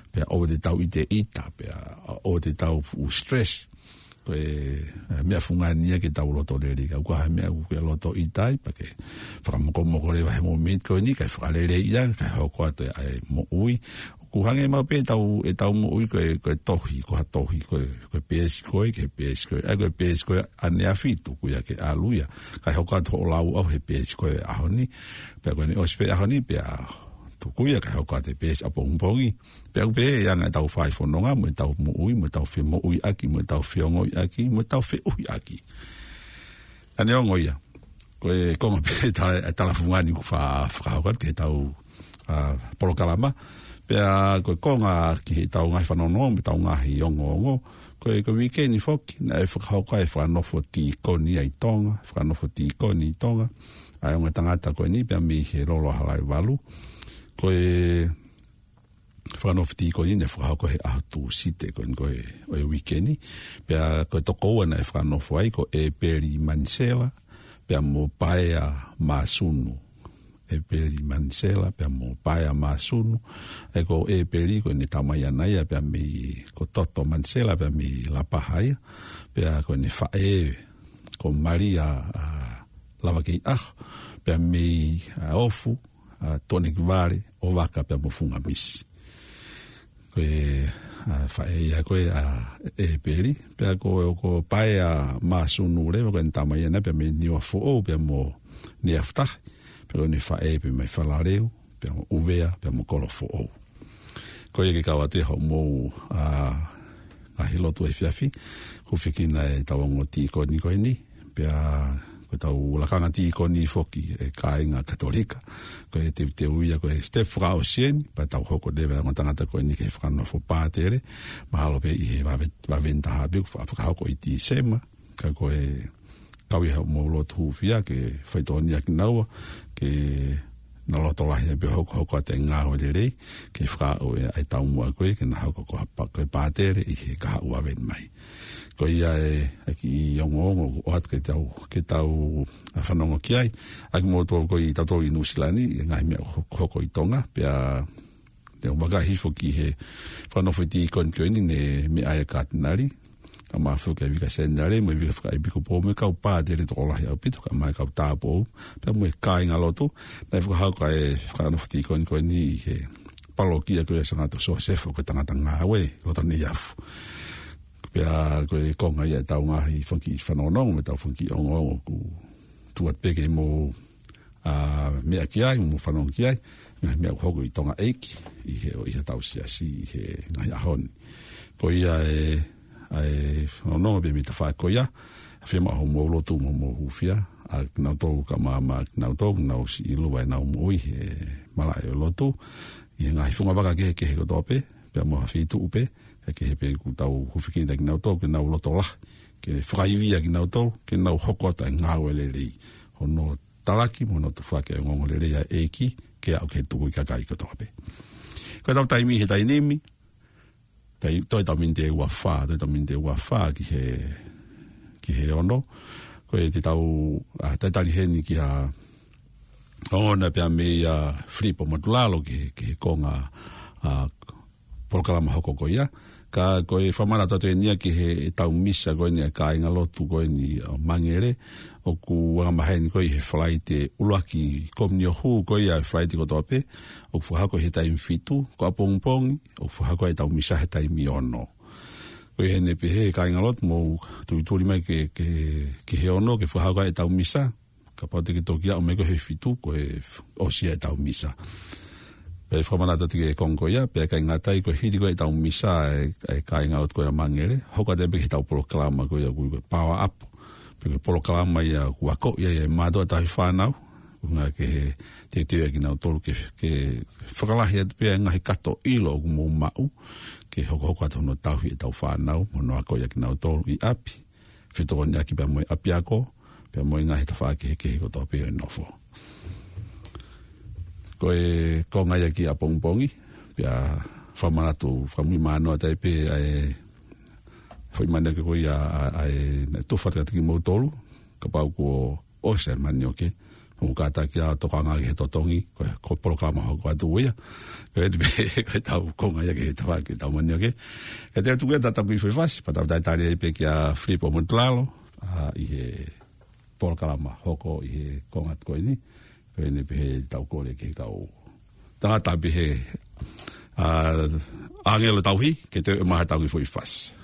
pea ʻoua te tau ʻiteʻita, pea ʻoua te tau fuʻu stress. Ko e, e, meʻa fungani ia ke tau loto lelei. Kapau ʻoku ʻi ai ha meʻa ʻoku ke loto ʻita ai, pea ke fakamokomoko leva he mōmeniti ko eni, kae fakaleleiʻi ange, kae hoko atu ʻa e moʻui. ʻOku hangē maʻu pē ʻetau, ʻetau moʻui ko e, ko e tohi, ko ha tohi, ko e, ko e peesi ko ē, ki he peesi ko ē, ʻa ia ko e peesi ko ē ʻaneafi tuku ia ke ʻalu ia. Kae hoko atu hoʻo lau ʻau he peesi ko ē ʻaho ni. Pea ko ʻene ʻosi pē ʻaho ni, pea tuku ia kae hoko atu e peesi ʻapongipongi. Pea ʻoku pehē ʻa e anga ʻetau fai fononga mo ʻetau moʻui, mo ʻetau femoʻuiʻaki, mo ʻetau feongoʻiʻaki, mo ʻetau feʻuhiʻaki. Ka neongo ia, ko e konga pē tala, tala fungani ʻoku fa-, fakahoko atu ki heʻetau, ʻa, polokalama. Pea ko e konga ki heʻetau ngaahi fanongonongo, mo ʻetau ngaahi ongoongo. Ko e, ko e weekend foki, naʻe fakahoko ai e fakanofo tīkoni ʻa e Tonga, fakanofo tīkoni ʻa e Tonga. ʻA e ongo tangata ko eni, pea mei he Lolo ʻa Halaivalu. Ko e fakanofo tīkoni naʻe fakahoko he ʻaho Tūsite ko eni ko e, ʻo e weekend. Pea ko e tokoua naʻe fakanofo ai ko ʻEpeli Manisela, pea mo Paea Māsunu. ʻEpeli Manisela, pea mo Paea Māsunu. ʻE ko ʻEpeli ko ʻene tamai ʻaʻana ia, pea mei ko Toto Manisela, pea mei Lapaha ia. Pea ko ʻene faʻē, ko Malia, ʻa, Lavakeiʻaho, pea mei, ʻa, Ofu, ʻa, Tuʻanekivale, ʻOvaka pea mo Fungamisi. Ko e, ʻa, faʻē ia ko ē ʻa ʻEpeli, pea ko, ko Paea Māsunu leva ko ʻene tamai ʻaʻana pea mei Niuafoʻou pea mo Niuafutahi, pea ko ʻene faʻē pea mei Falaleu, pea mo ʻUvea, pea mo Kolofoʻou. Ko ia ke kau atu ʻi hoʻomou, ʻa, ngaahi lotu efiafi, hūfekina ʻetau ongo tīkoni ko eni, pea ko ʻetau lakanga tīkoni foki ʻa e kāinga Katolika. Ko e teuteu ia, ko e step fakaʻosi eni, pea tau hoko leva ʻa e ongo tangata ko eni ki he fakanofo pātele, mahalo pē ʻi he vave-, vaveni taha pē ʻoku fa-, fakahoko ʻi Tīsema, ka ko e kau ʻi hoʻomou lotu hūfia ke faitotonu ʻaki kinaua, ke na loto lahi ai pē hokohoko atu e ngāue lelei, ke fakaaʻu ʻa e taumuʻa ko ē, ke na hoko ko ha pa-, ko e pātele ʻi he kahaʻu vaveni mai. Ko ia e, e kiʻi ongoongo ʻoku ʻoatu ke tau, ke tau, ʻa, fanongo ki ai, ʻa kimoutolu ko ē ʻi tautolu ʻi Nuʻusila ni, ʻi he ngaahi meʻa ho-, hoko ʻi Tonga, pea te u vakai hifo ki he fakanofo tīkoni ko eni naʻe meʻa ai e Katinali, Kae ʻumaʻā foki ʻa e Vika Senitale, mo e Vika Fakaʻepisikopo, mo e kau pātele tokolahi ʻaupito, kae ʻumaʻā e kau tāupoʻou, pea mo e kāingalotu, naʻe fakahoko ʻa e fakanofo tīkoni ko eni ʻi he palokia ko ia ʻo Sangato Siosefa, ko e tangata ngāue, loto Neiafu. Pea ko e konga ia ʻetau ngaahi fanga kiʻi fanongonongo, mo ʻetau fanga kiʻi ongoongo ʻoku tuʻu atu pē ke mou, ā, meʻa ki ai, mou fanongo ki ai, ngaahi meʻa ʻoku hoko ʻi Tonga ʻEiki, ʻi he, ʻi heʻetau siasi, ʻi he ngaahi ʻaho ni. Ko ia e, ʻa e fanongonongo pē mei he tafaʻaki ko ia, ʻa e fiemaʻu hoʻomou lotu mo hoʻomou hūfia, ʻa kinautolu kae ʻumaʻā kinautolu, ʻoku nau siʻi ʻiloa ʻenau moʻui he malaʻe ʻo e lotu, ʻi he ngaahi fungavaka kehekehe kotoa pē, pea mo ha feituʻu pē, ʻa e kehe pē ʻoku tau hūfekina kinautolu, ke nau loto lahi, ke fakaivia kinautolu, ke nau hoko atu ʻa e ngāue lelei. Hono talaki, mo hono tufaki ʻa e ongoongo lelei ʻa e ʻEiki, ke aʻu ki he tukui kakai kotoa pē. Ko ʻetau taimi he taimi ni, tai, toe ʻetau miniti ʻe ua fā, toe ʻetau miniti ʻe ua fā ki he, ki he ono. Ko e te tau, ā, talitali heni ki ha, ʻo na pea mei a Filipo Matulalo ki he, ki he konga, ā, polokalama hoko ko ia. Ka ko e fakamanatu atu eni ia ki he, ʻetau misa ko eni ʻa e kāingalotu ko eni ʻo Mangere, ʻoku anga maheni ko ia he Falaite ʻuluaki Komiunio Hū ko ia he Falaite kotoa pē, ʻoku fakahoko he taimi fitu, ko ʻapongipongi, ʻoku fakahoko ʻetau misa he taimi ono. Ko ia ʻoku ne pehē kāingalotu mou tulituli mai ke, ke, ki he ono ke fakahoko ʻetau misa, kapau te ke toki aʻu mai ko e he fitu, ko e f-, ʻosi ia ʻetau misa. Pea fakamanatu atu ki he konga ko ia, pea ʻikai ngata ai ko e hili ko ia ʻetau misa ʻa e, ʻa e kāingalotu ko ia ʻo Mangere, hoko atu pē ki heʻetau polokalama ko ia ʻoku ui ko e Power Up. Pea ko e polokalama ia ʻoku akoʻi ai ʻe mātuʻa tauhi fānau, ʻuhinga ke teuteu ʻa kinautolu ke, ke fakalahi atu pē ʻa e ngaahi kato ʻilo ʻoku mou maʻu, ke hokohoko atu hono tauhi ʻetau fānau, mo hono akoʻi ʻa kinautolu ʻi ʻapi, fetokoniʻaki pea mo e ʻapiako, pea mo e ngaahi tafaʻaki kehekehe kotoa pē ʻo e nofo. Ko e konga ia ki ʻapongipongi, pea fakamanatu, fakamuimui mānoa atu ai pē ʻa e foʻi manioke ko ia ʻa, ʻa e naʻe tufa atu kiate kimoutolu, kapau kuo ʻosi ʻa e manioke, mou kātaki ʻo tokanga ki he totongi, ko e, ko e polokalama hoko atu ia. Ko e te pē, ko ʻetau konga ia ki he tafaʻaki ʻetau manioke. Ka te u tuku atu ʻa e tau kiʻi foʻi fasi, pea tau talitali ai pē kia Filipo Matulalo, ā, ʻi he polokalama hoko ʻi he konga ko eni. Ko eni pē heʻetau kole ki he kau tangata pē he, ā, ʻāngelo tauhi, ke toe ʻomai ha tau kiʻi foʻi fasi.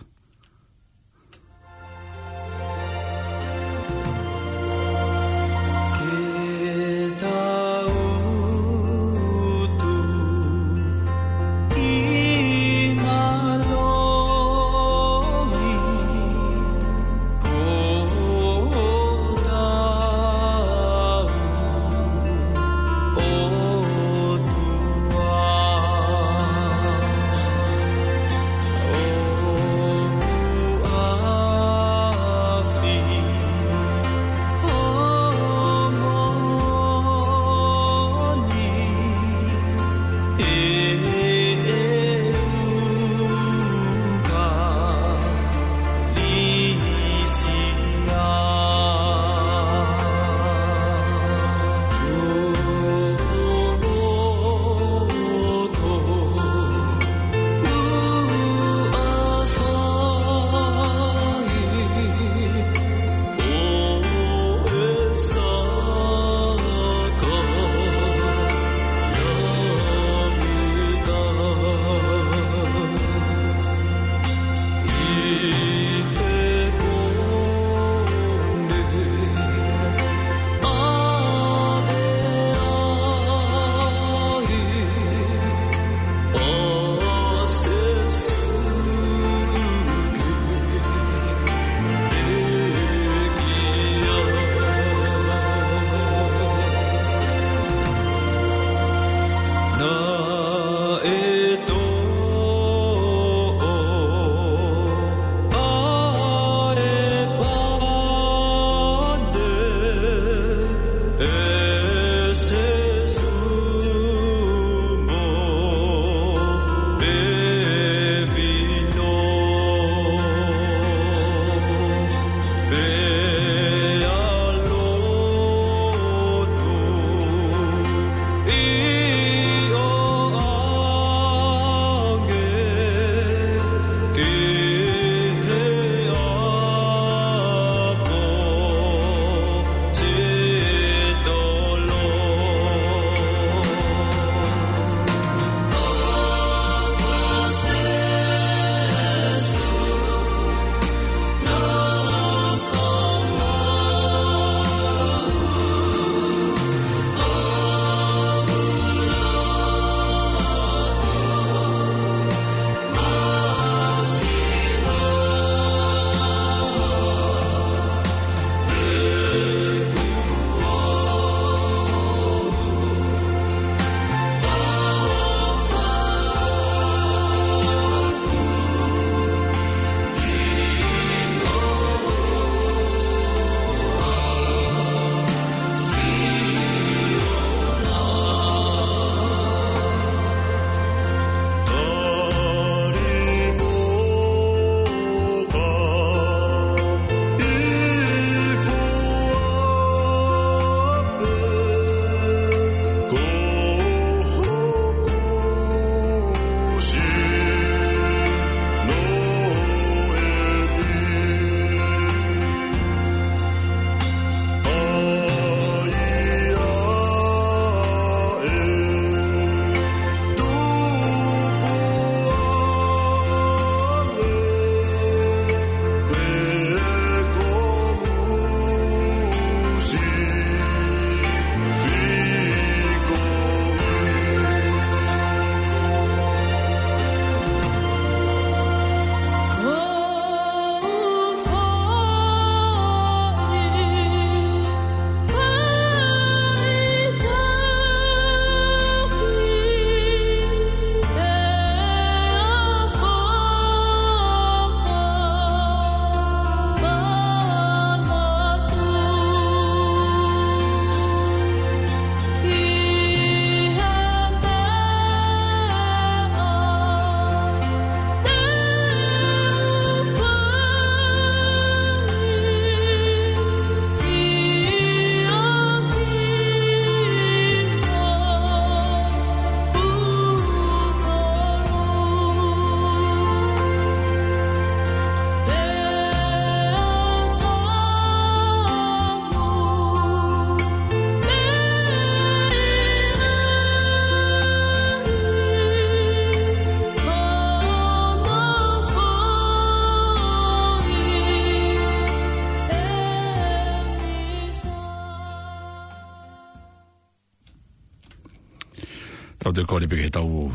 Tau toe kole pē ki he tau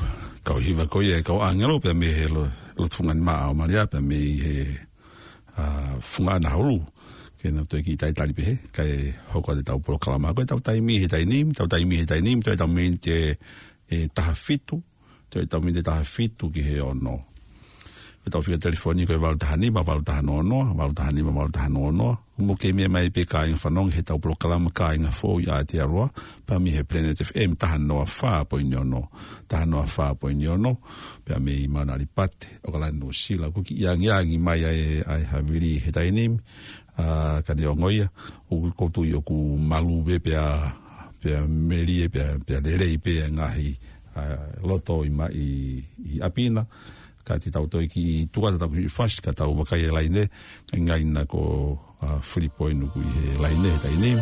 kau hiva ko ia ʻa e kau ʻāngelo pea mei he lo-, loto fungani maʻa ʻo Malia pea mei he, ʻa, funga ʻana hulu. Ke nau toe kiʻi talitali pē he, kae hoko atu ʻetau polokalama. Ko ʻetau taimi he taimi ni, tau taimi he taimi ni, toe ʻetau miniti ʻe, ʻe taha fitu, toe ʻetau miniti ʻe taha fitu ki he ono. Ko ʻetau fika telefoni ko e valu taha nima, valu taha noa noa, valu taha nima, valu taha noa noa. Mou kei meʻa mai pē kāinga fanongo he ʻetau polokalama Kāinga Foʻou ʻi Aotearoa, pea mei he Planet F M taha noa fā poini ono, taha noa fā poini ono, pea mei Mauna Lipate, ʻAokalani, Nuʻusila, ʻoku kiʻi angiangi mai ai, ʻa e havili he taimi ni, ʻa, ka neongo ia, ʻoku ou tui ʻoku malu pē pea, pea melie pea, pea lelei pē ʻa e ngaahi, ʻa, loto ʻi ma-, ʻi, ʻi ʻapi na, ka te tau toe kiʻi tuku atu ʻetau kiʻi fasi, ka tau vakai e laine, ngai na ko, ʻa, Filipo ʻInuku ʻi he laine he taimi ni.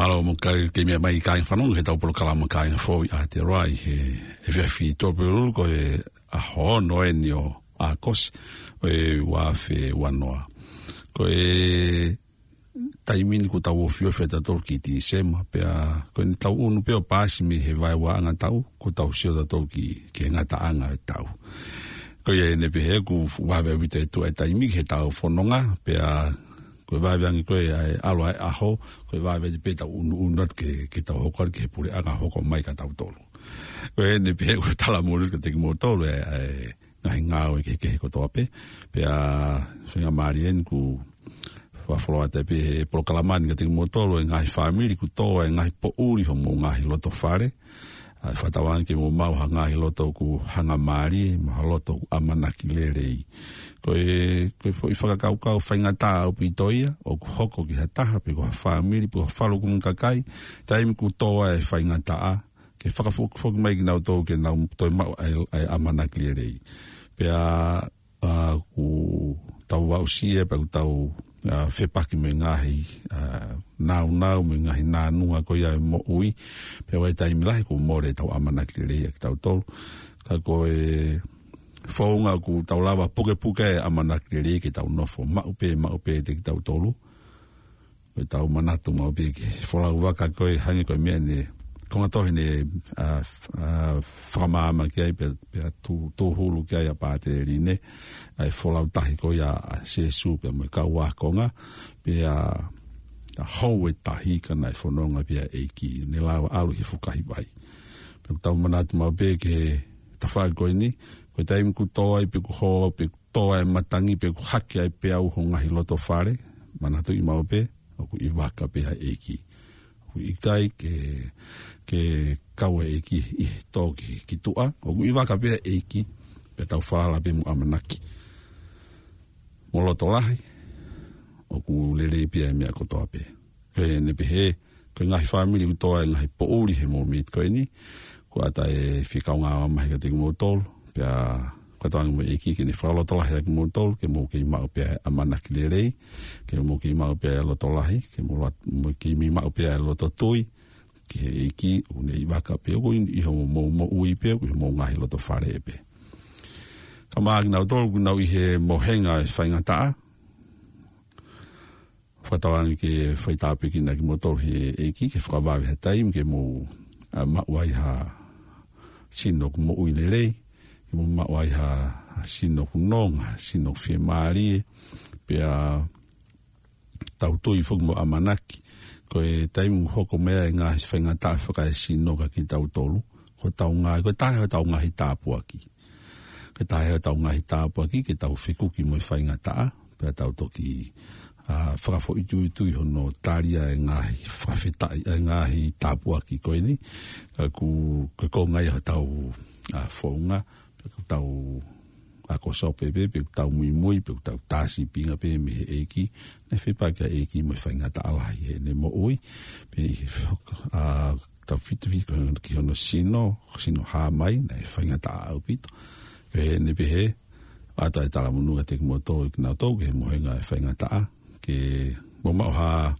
Mālō mo e kau kei meʻa mai kāinga fanongo he ʻetau polokalama Kāinga Foʻou ʻi Aotearoa ʻi he, he efiafi Tuʻapulelulu ko e ʻaho ono eni ʻo ʻAokosi ʻo e ua afe ua noa. Ko e taimi ni kuo tau ofiofi ʻa tautolu ki Tīsema, pea ko eni tau ʻunu pē ʻo paasi mei he vaeuaʻanga taʻu, kuo tau sio tautolu ki, ki he ngataʻanga ʻo e taʻu. Ko ia eni pē he ʻoku vave ʻaupito e tuʻu e taimi ki he ʻetau fononga, pea ko e vave ange ko ē ʻa e ʻalu ʻa e ʻaho, ko e vave pē ʻetau ʻunuʻunu atu ke, ke tau hoko atu ki he puleʻanga hoko mai kia tautolu. Ko eni pē he ʻoku ou talamonū kiate kimoutolu e, e ngaahi ngāue kehekehe kotoa pē. Pea feinga mālie eni kuo fakafoʻou atu pē he polokalama ni kiate kimoutolu e ngaahi fāmili kuo tō e ngaahi poʻuli homou ngaahi loto fale. ʻA e fakatauange ke mou maʻu ha ngaahi loto ʻoku hangamālie, mo ha loto ʻoku ʻamanaki lelei. Ko e, ko e foʻi fakakaukau faingataʻa ʻaupito ia, ʻoku hoko ki ha taha, pe ko ha fāmili, pe ko ha falukunga kakai, taimi kuo tō ai e faingataʻa, ke fakafokifoki mai kinautolu ke nau toe maʻu ʻa e, ʻa e ʻamanaki lelei. Pea, ʻa, kuo tau aʻusia, pea kuo tau, ʻa, fepaki mo e ngaahi, ʻa, nāunau, mo e ngaahi nānunga ko ia e moʻui, pea ʻi ai e taimi lahi kuo mole ʻetau ʻamanaki lelei ʻa kitautolu. Ka ko e founga kuo tau lava pukepuke e ʻamanaki lelei ke tau nofo maʻu pē, maʻu pē ʻiate kitautolu. Ko ʻetau manatu maʻu pē ki he folau vaka ko ē hangē ko e meʻa ne, konga tohi ne, ʻa, f-, ʻa, fakamaama ki ai pea, pea tū, tūhulu ki ai ʻa Pātele Line, ʻa e folau tahi ko ia ʻa Sēsū pea mo e kau ākonga, pea, ʻa, hou e tahi ka naʻe fononga pē ʻa e ʻEiki, ne lava ʻalu he fukahi vai. Pea ʻoku tau manatu maʻu pē ki he tafaʻaki ko eni, ko e taimi kuo tō ai pe kuo hō, pe tō ai e matangi pe kuo hake ai pē ʻa ho ngaahi loto fale, manatuʻi maʻu pē, ʻoku ʻi vaka pē ʻa e ʻEiki. ʻOku ʻikai ke, ke kau e ʻEiki ʻi he tō ki, ki tuʻa, ʻoku ʻi vaka pē ʻa e ʻEiki, pea tau falala pē mo ʻamanaki. Mo loto lahi, ʻoku lelei pē ʻa e meʻa kotoa pē. Ko eni pē he, ko e ngaahi fāmili kuo tō ai e ngaahi poʻuli he mōmeniti ko eni, kuo ʻatā e fika ʻo e ngāue mamahi kiate kimoutolu, pea fakatauange mo e ʻEiki ke ne fakalotolahi ʻa kimoutolu, ke mou kei maʻu pē ʻa e ʻamanaki lelei, ke mou kei maʻu pē ʻa e loto lahi, ke mou la-, mou kei mei maʻu pē ʻa e loto tui, ki he ʻEiki, ʻoku ne ʻi vaka pē, ʻoku ʻi, ʻi hoʻomou moʻui pē, ʻoku ʻi homou ngaahi loto fale pē. Kae ʻumaʻā kinautolu ʻoku nau ʻi he mohenga ʻo e faingataʻa, fakatauange ke fai tāpuekina kimoutolu ʻe he ʻEiki, ke fakavave ha taimi ke mou, ʻa, maʻu ai ha sino ʻoku moʻui lelei, ke mou maʻu ai ha, ha sino ʻoku nonga, sino ʻoku fiemālie, pea tau tui foki mo ʻamanaki. Ko e taimi ʻoku hoko mai ai e ngaahi faingataʻa fakaesino kiate kitautolu, ko hotau ngaahi, ko e taha hotau ngaahi tāpuaki. Ko e taha hotau ngaahi tāpuaki ke tau fekuki mo e faingataʻa, pea tau toki, ʻa, fakafoʻituitui hono talia e ngaahi fakafetaʻi, e ngaahi tāpuaki ko eni. Ka ʻoku, ko e konga ia hotau, ʻa, founga, pe ʻoku tau ako sope pē, pe ʻoku tau muimui, pe ʻoku tau tā sīpinga pē mei he ʻEiki, naʻe fepaki ʻa e ʻEiki mo e faingataʻa lahi heʻene moʻui, pea ʻi he, ʻa, tau fitufituki ki hono sino, sino hā mai, naʻe faingataʻa ʻaupito. Ko ʻene pehē, ʻoatu e talamonū kiate kimoutolu, kinautolu ki he mohenga ʻo e faingataʻa, ke mou maʻu ha,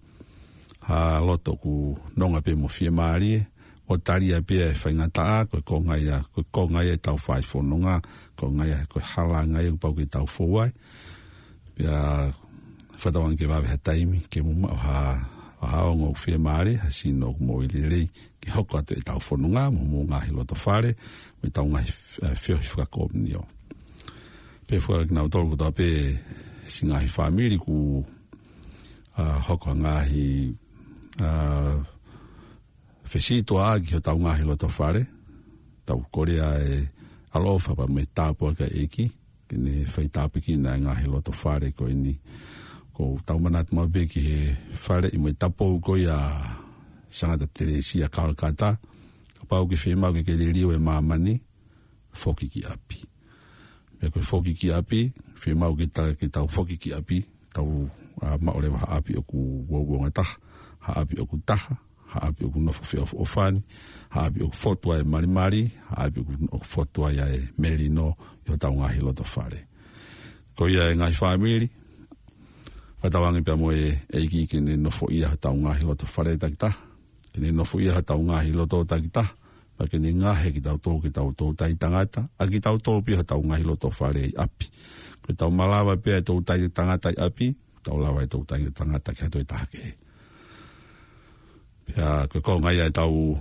ha loto ʻoku nonga pē mo fiemālie, ʻo talia pē ʻa e faingataʻa, ko e konga ia, ko e konga ia ʻetau fai fononga, konga ia, ko e halanga ia kuo pau ke tau fou ai. Pea fakatauange ke vave ha taimi, ke mou maʻu ha, ha ongo ʻoku fiemālie, ha sino ʻoku moʻui lelei, ke hoko atu ʻetau fononga, mo, mo e ngaahi loto fale, mo ʻetau ngaahi, ʻa, feohi fakakomiunio. Pea fakakinautolu kotoa pē siʻi ngaahi fāmili ʻoku, ʻa, hoko ha ngaahi, ʻa, fesītuʻaʻaki hotau ngaahi loto fale, tau kole ʻa e ʻaloʻofa pea mo e tāpuaki ʻa e ʻEiki, ke ne fai tāpuekina e ngaahi loto fale ko eni. ʻOku tau manatu maʻu pē ki he faleʻi mo e tapou ko ia ʻa Sangata Telesia Kalakata, kapau ʻoku ke fiemaʻu ke ke liliu e māmani, foki ki ʻapi. Pea ko e foki ki ʻapi, fiemaʻu ke ta-, ke tau foki ki ʻapi, tau, ʻa, maʻu leva ha ʻapi ʻoku uouangataha, ha ʻapi ʻoku taha, ha ʻapi ʻoku nofo feʻofoʻofani, ha ʻapi ʻoku fotu ai e malimali, ha ʻapi ʻoku, ʻoku fotu ai ʻa e melino ʻi hotau ngaahi loto fale. Ko ia e ngaahi fāmili, fakatauange pea mo e ʻEiki ke ne nofoʻia hotau ngaahi loto fale takitaha, ke ne nofoʻia hotau ngaahi loto takitaha, pea ke ne ngaohi kitautolu ke tau toutai tangata, ʻa kitautolu pē hotau ngaahi loto fale ʻi ʻapi. Ko ʻetau malava pē ʻa e toutai tangata ʻi ʻapi, tau lava e toutai tangata ki ha toe taha kehe. Pea ko e konga ia ʻetau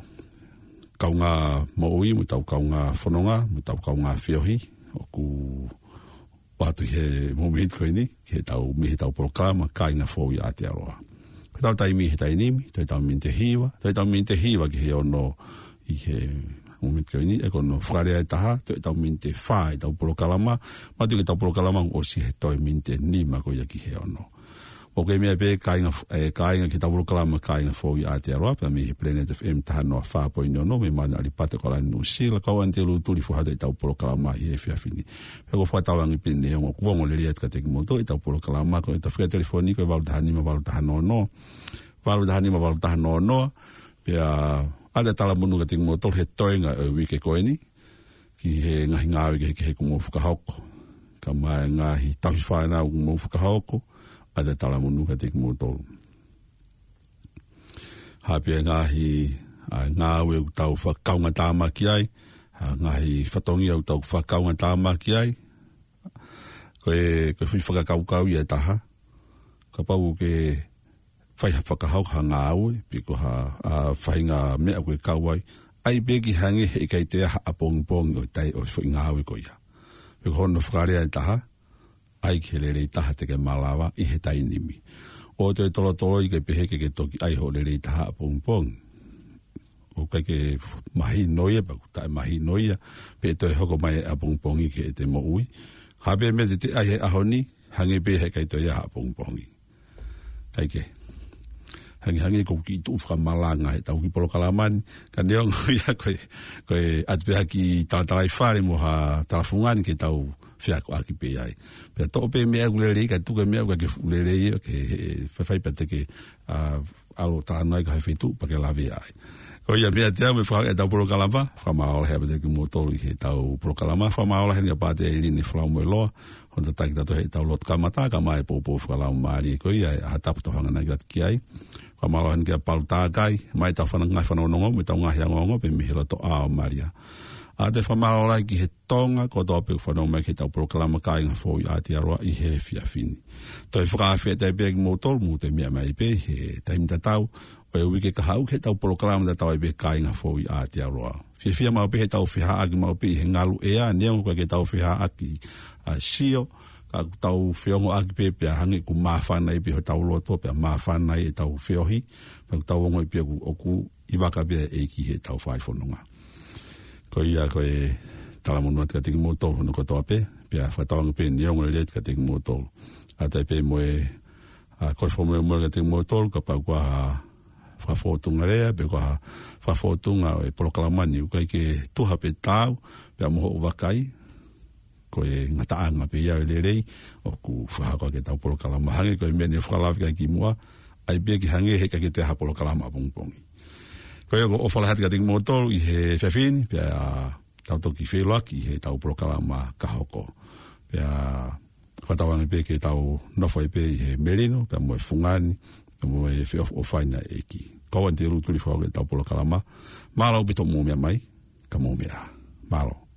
kaungā moʻui, mo ʻetau kaungā fononga, mo ʻetau kaungā feohi, ʻoku ʻoatu he mōmeniti ko eni, ki heʻetau, mei heʻetau polokalama, Kāinga Fou ʻi Aotearoa. Ko ʻetau taimi he taimi ni, toe ʻetau miniti ʻe hiva, toe ʻetau miniti ʻe hiva ki he ono ʻi he mōmeniti ko eni, ʻe ko hono fakalea ʻe taha, toe ʻetau miniti ʻe fā ʻetau polokalama, manatuʻi ko ʻetau polokalama ʻoku ʻosi he toe miniti ʻe nima ko ia ki he ono. ʻOku ke meʻa pē kāinga, ʻe, kāinga ki heʻetau polokalama Kāinga Fou ʻi Aotearoa, pea mei he Planet F M taha noa fā poini ono, mei Mauna ʻAlipata, ʻAokalani, Nuʻu Sila, ko au Anitelū Tulifua ʻoatu ʻetau polokalama ʻi he efiafi ni. Pea ʻoku ou fakatauange pē ʻe ongo, ʻoku ongo lelei atu kiate kimoutolu ʻetau polokalama, ko ʻetau fika telefoni ko e valu taha nima valu taha noa noa, valu taha nima valu taha noa noa, pea ʻoatu e talamonū kiate kimoutolu he toenga ʻo e uike ko eni, ki he ngaahi ngāue kehekehe kuo mou fakahoko. Kae ʻumaʻā e ngaahi tauhi fānau kuo mou fakahoko, ʻoatu e talamonū kiate kimoutolu. Hā pē e ngaahi, ʻa, ngāue ʻoku tau fakakaungātāmaki ai, ʻa, ngaahi fatongia ʻoku tau fakakaungātāmaki ai. Ko e, ko e foʻi fakakaukau ia ʻe taha. Kapau ʻoku ke fai ha fakahoko ha ngāue, pe ko ha, ʻa, faʻahinga meʻa ʻoku ke kau ai, ʻai pē ke hangē heʻikai toe ʻi ai ha ʻapongipongi ʻo e taimi ʻo e foʻi ngāue ko ia. Pe ko hono fakalea ʻe taha, ʻai ki he lelei taha te ke malava ʻi he taimi ni. ʻOua toe tolotoloi ke pehē ke ke toki ʻai hoʻo lelei taha ʻapongipongi. ʻOku ʻikai ke mahino ia, pe ʻoku taʻemahino ia, pe ʻe toe hoko mai e ʻapongipongi ki heʻete moʻui. Hā pē meʻa te te ʻai he ʻaho ni, hangē pē heʻikai toe ʻi ai ha ʻapongipongi. ʻIkai ke. Hangē, hangē ko e kiʻi tuʻu fakamalanga heʻetau kiʻi polokalama ni, ka neongo ia ko e, ko e ʻoatu pē ha kiʻi talatalaifale mo ha talafungani ke tau feakoʻaki pē ai. Pea toʻo pē meʻa ʻoku lelei, kae tuku e meʻa ʻoku ʻikai ke fuʻu lelei, ke, he, faifai pea te ke, ʻa, ʻalu ʻo talanoa ai ki ha feituʻu pea ke lavea ai. Ko ia, mea te au me fai ʻetau polokalama, fakamālō lahi ʻaupito kimoutolu ʻi heʻetau polokalama, fakamālō lahi ʻeni kia Pātele ʻIlini Falamoeloa, hono tataki kitautolu heʻetau lotu kamata, kae ʻumaʻā e poupou fakalaumālie ko ia, ʻa e ʻaho tapu tau hanganaki atu ki ai. Fakamālō lahi ʻeni kia Palu Takai, maʻa ʻetau fana-, ngaahi fanongonongo, mo ʻetau ngaahi ongoongo, pea mei he loto ʻā ʻo Malia. ʻA ia fakamālō lahi ki he Tonga kotoa pē ʻoku fanongo mai ki heʻetau polokalama Kāinga Foʻou ʻi Aotearoa ʻi he efiafi ni. Toe fakafetaʻi pē kimoutolu, mou toe meʻa mai pē he taimi tatau ʻo e uike kahaʻu ki heʻetau polokalama tatau ai pē Kāinga Foʻou ʻi Aotearoa. Fiefia maʻu pē heʻetau feʻaveʻaki maʻu pē ʻi he ngalu ʻea, neongo ʻoku ʻikai ke tau feʻaveʻaki ʻa e sio, ka ʻoku tau feongoʻaki pē pea hangē ʻoku māfana ai pē hotau loto, pea māfana ai ʻetau feohi, pea ʻoku tau ongoʻi pē ʻoku, ʻoku ʻi vaka pē ʻa e ʻEiki heʻetau fai fononga. Ko ia ko e talamonū atu kiate kimoutolu hono kotoa pē, pea fakatauange pē ʻeni ʻoku lelei atu kiate kimoutolu. ʻA ia pē mo e, ʻa, ko e fakamolemole kiate kimoutolu, kapau ʻoku ʻi ai ha fakafōtunga lea, pe ko ha fakafōtunga ʻo e polokalama ni, ʻoku ʻikai ke tuha pe taau, pea mo hoʻo vakai, ko e ngataʻanga pē ia ʻo e lelei, ʻoku fakahoko ʻaki ʻetau polokalama. Hangē ko e meʻa ni ʻoku fakalave ki ai kimuʻa, ʻai pē ke hangē he ʻikai ke toe ʻi ai ha polokalama ʻapongipongi. Ko ia ʻoku ou ʻofa lahi atu kiate kimoutolu ʻi he efiafi ni, pea tau toki feʻiloaki ʻi heʻetau polokalama ka hoko. Pea fakatauange pē ke tau nofo ai pē ʻi he melino, pea mo e fungani, pea mo e feʻofaʻofani ʻa e ʻEiki. Ko au ʻAnitelū Tulifau ʻi heʻetau polokalama. Mālō ʻaupito hoʻomou meʻa mai, ka mou meʻa ā. Mālō.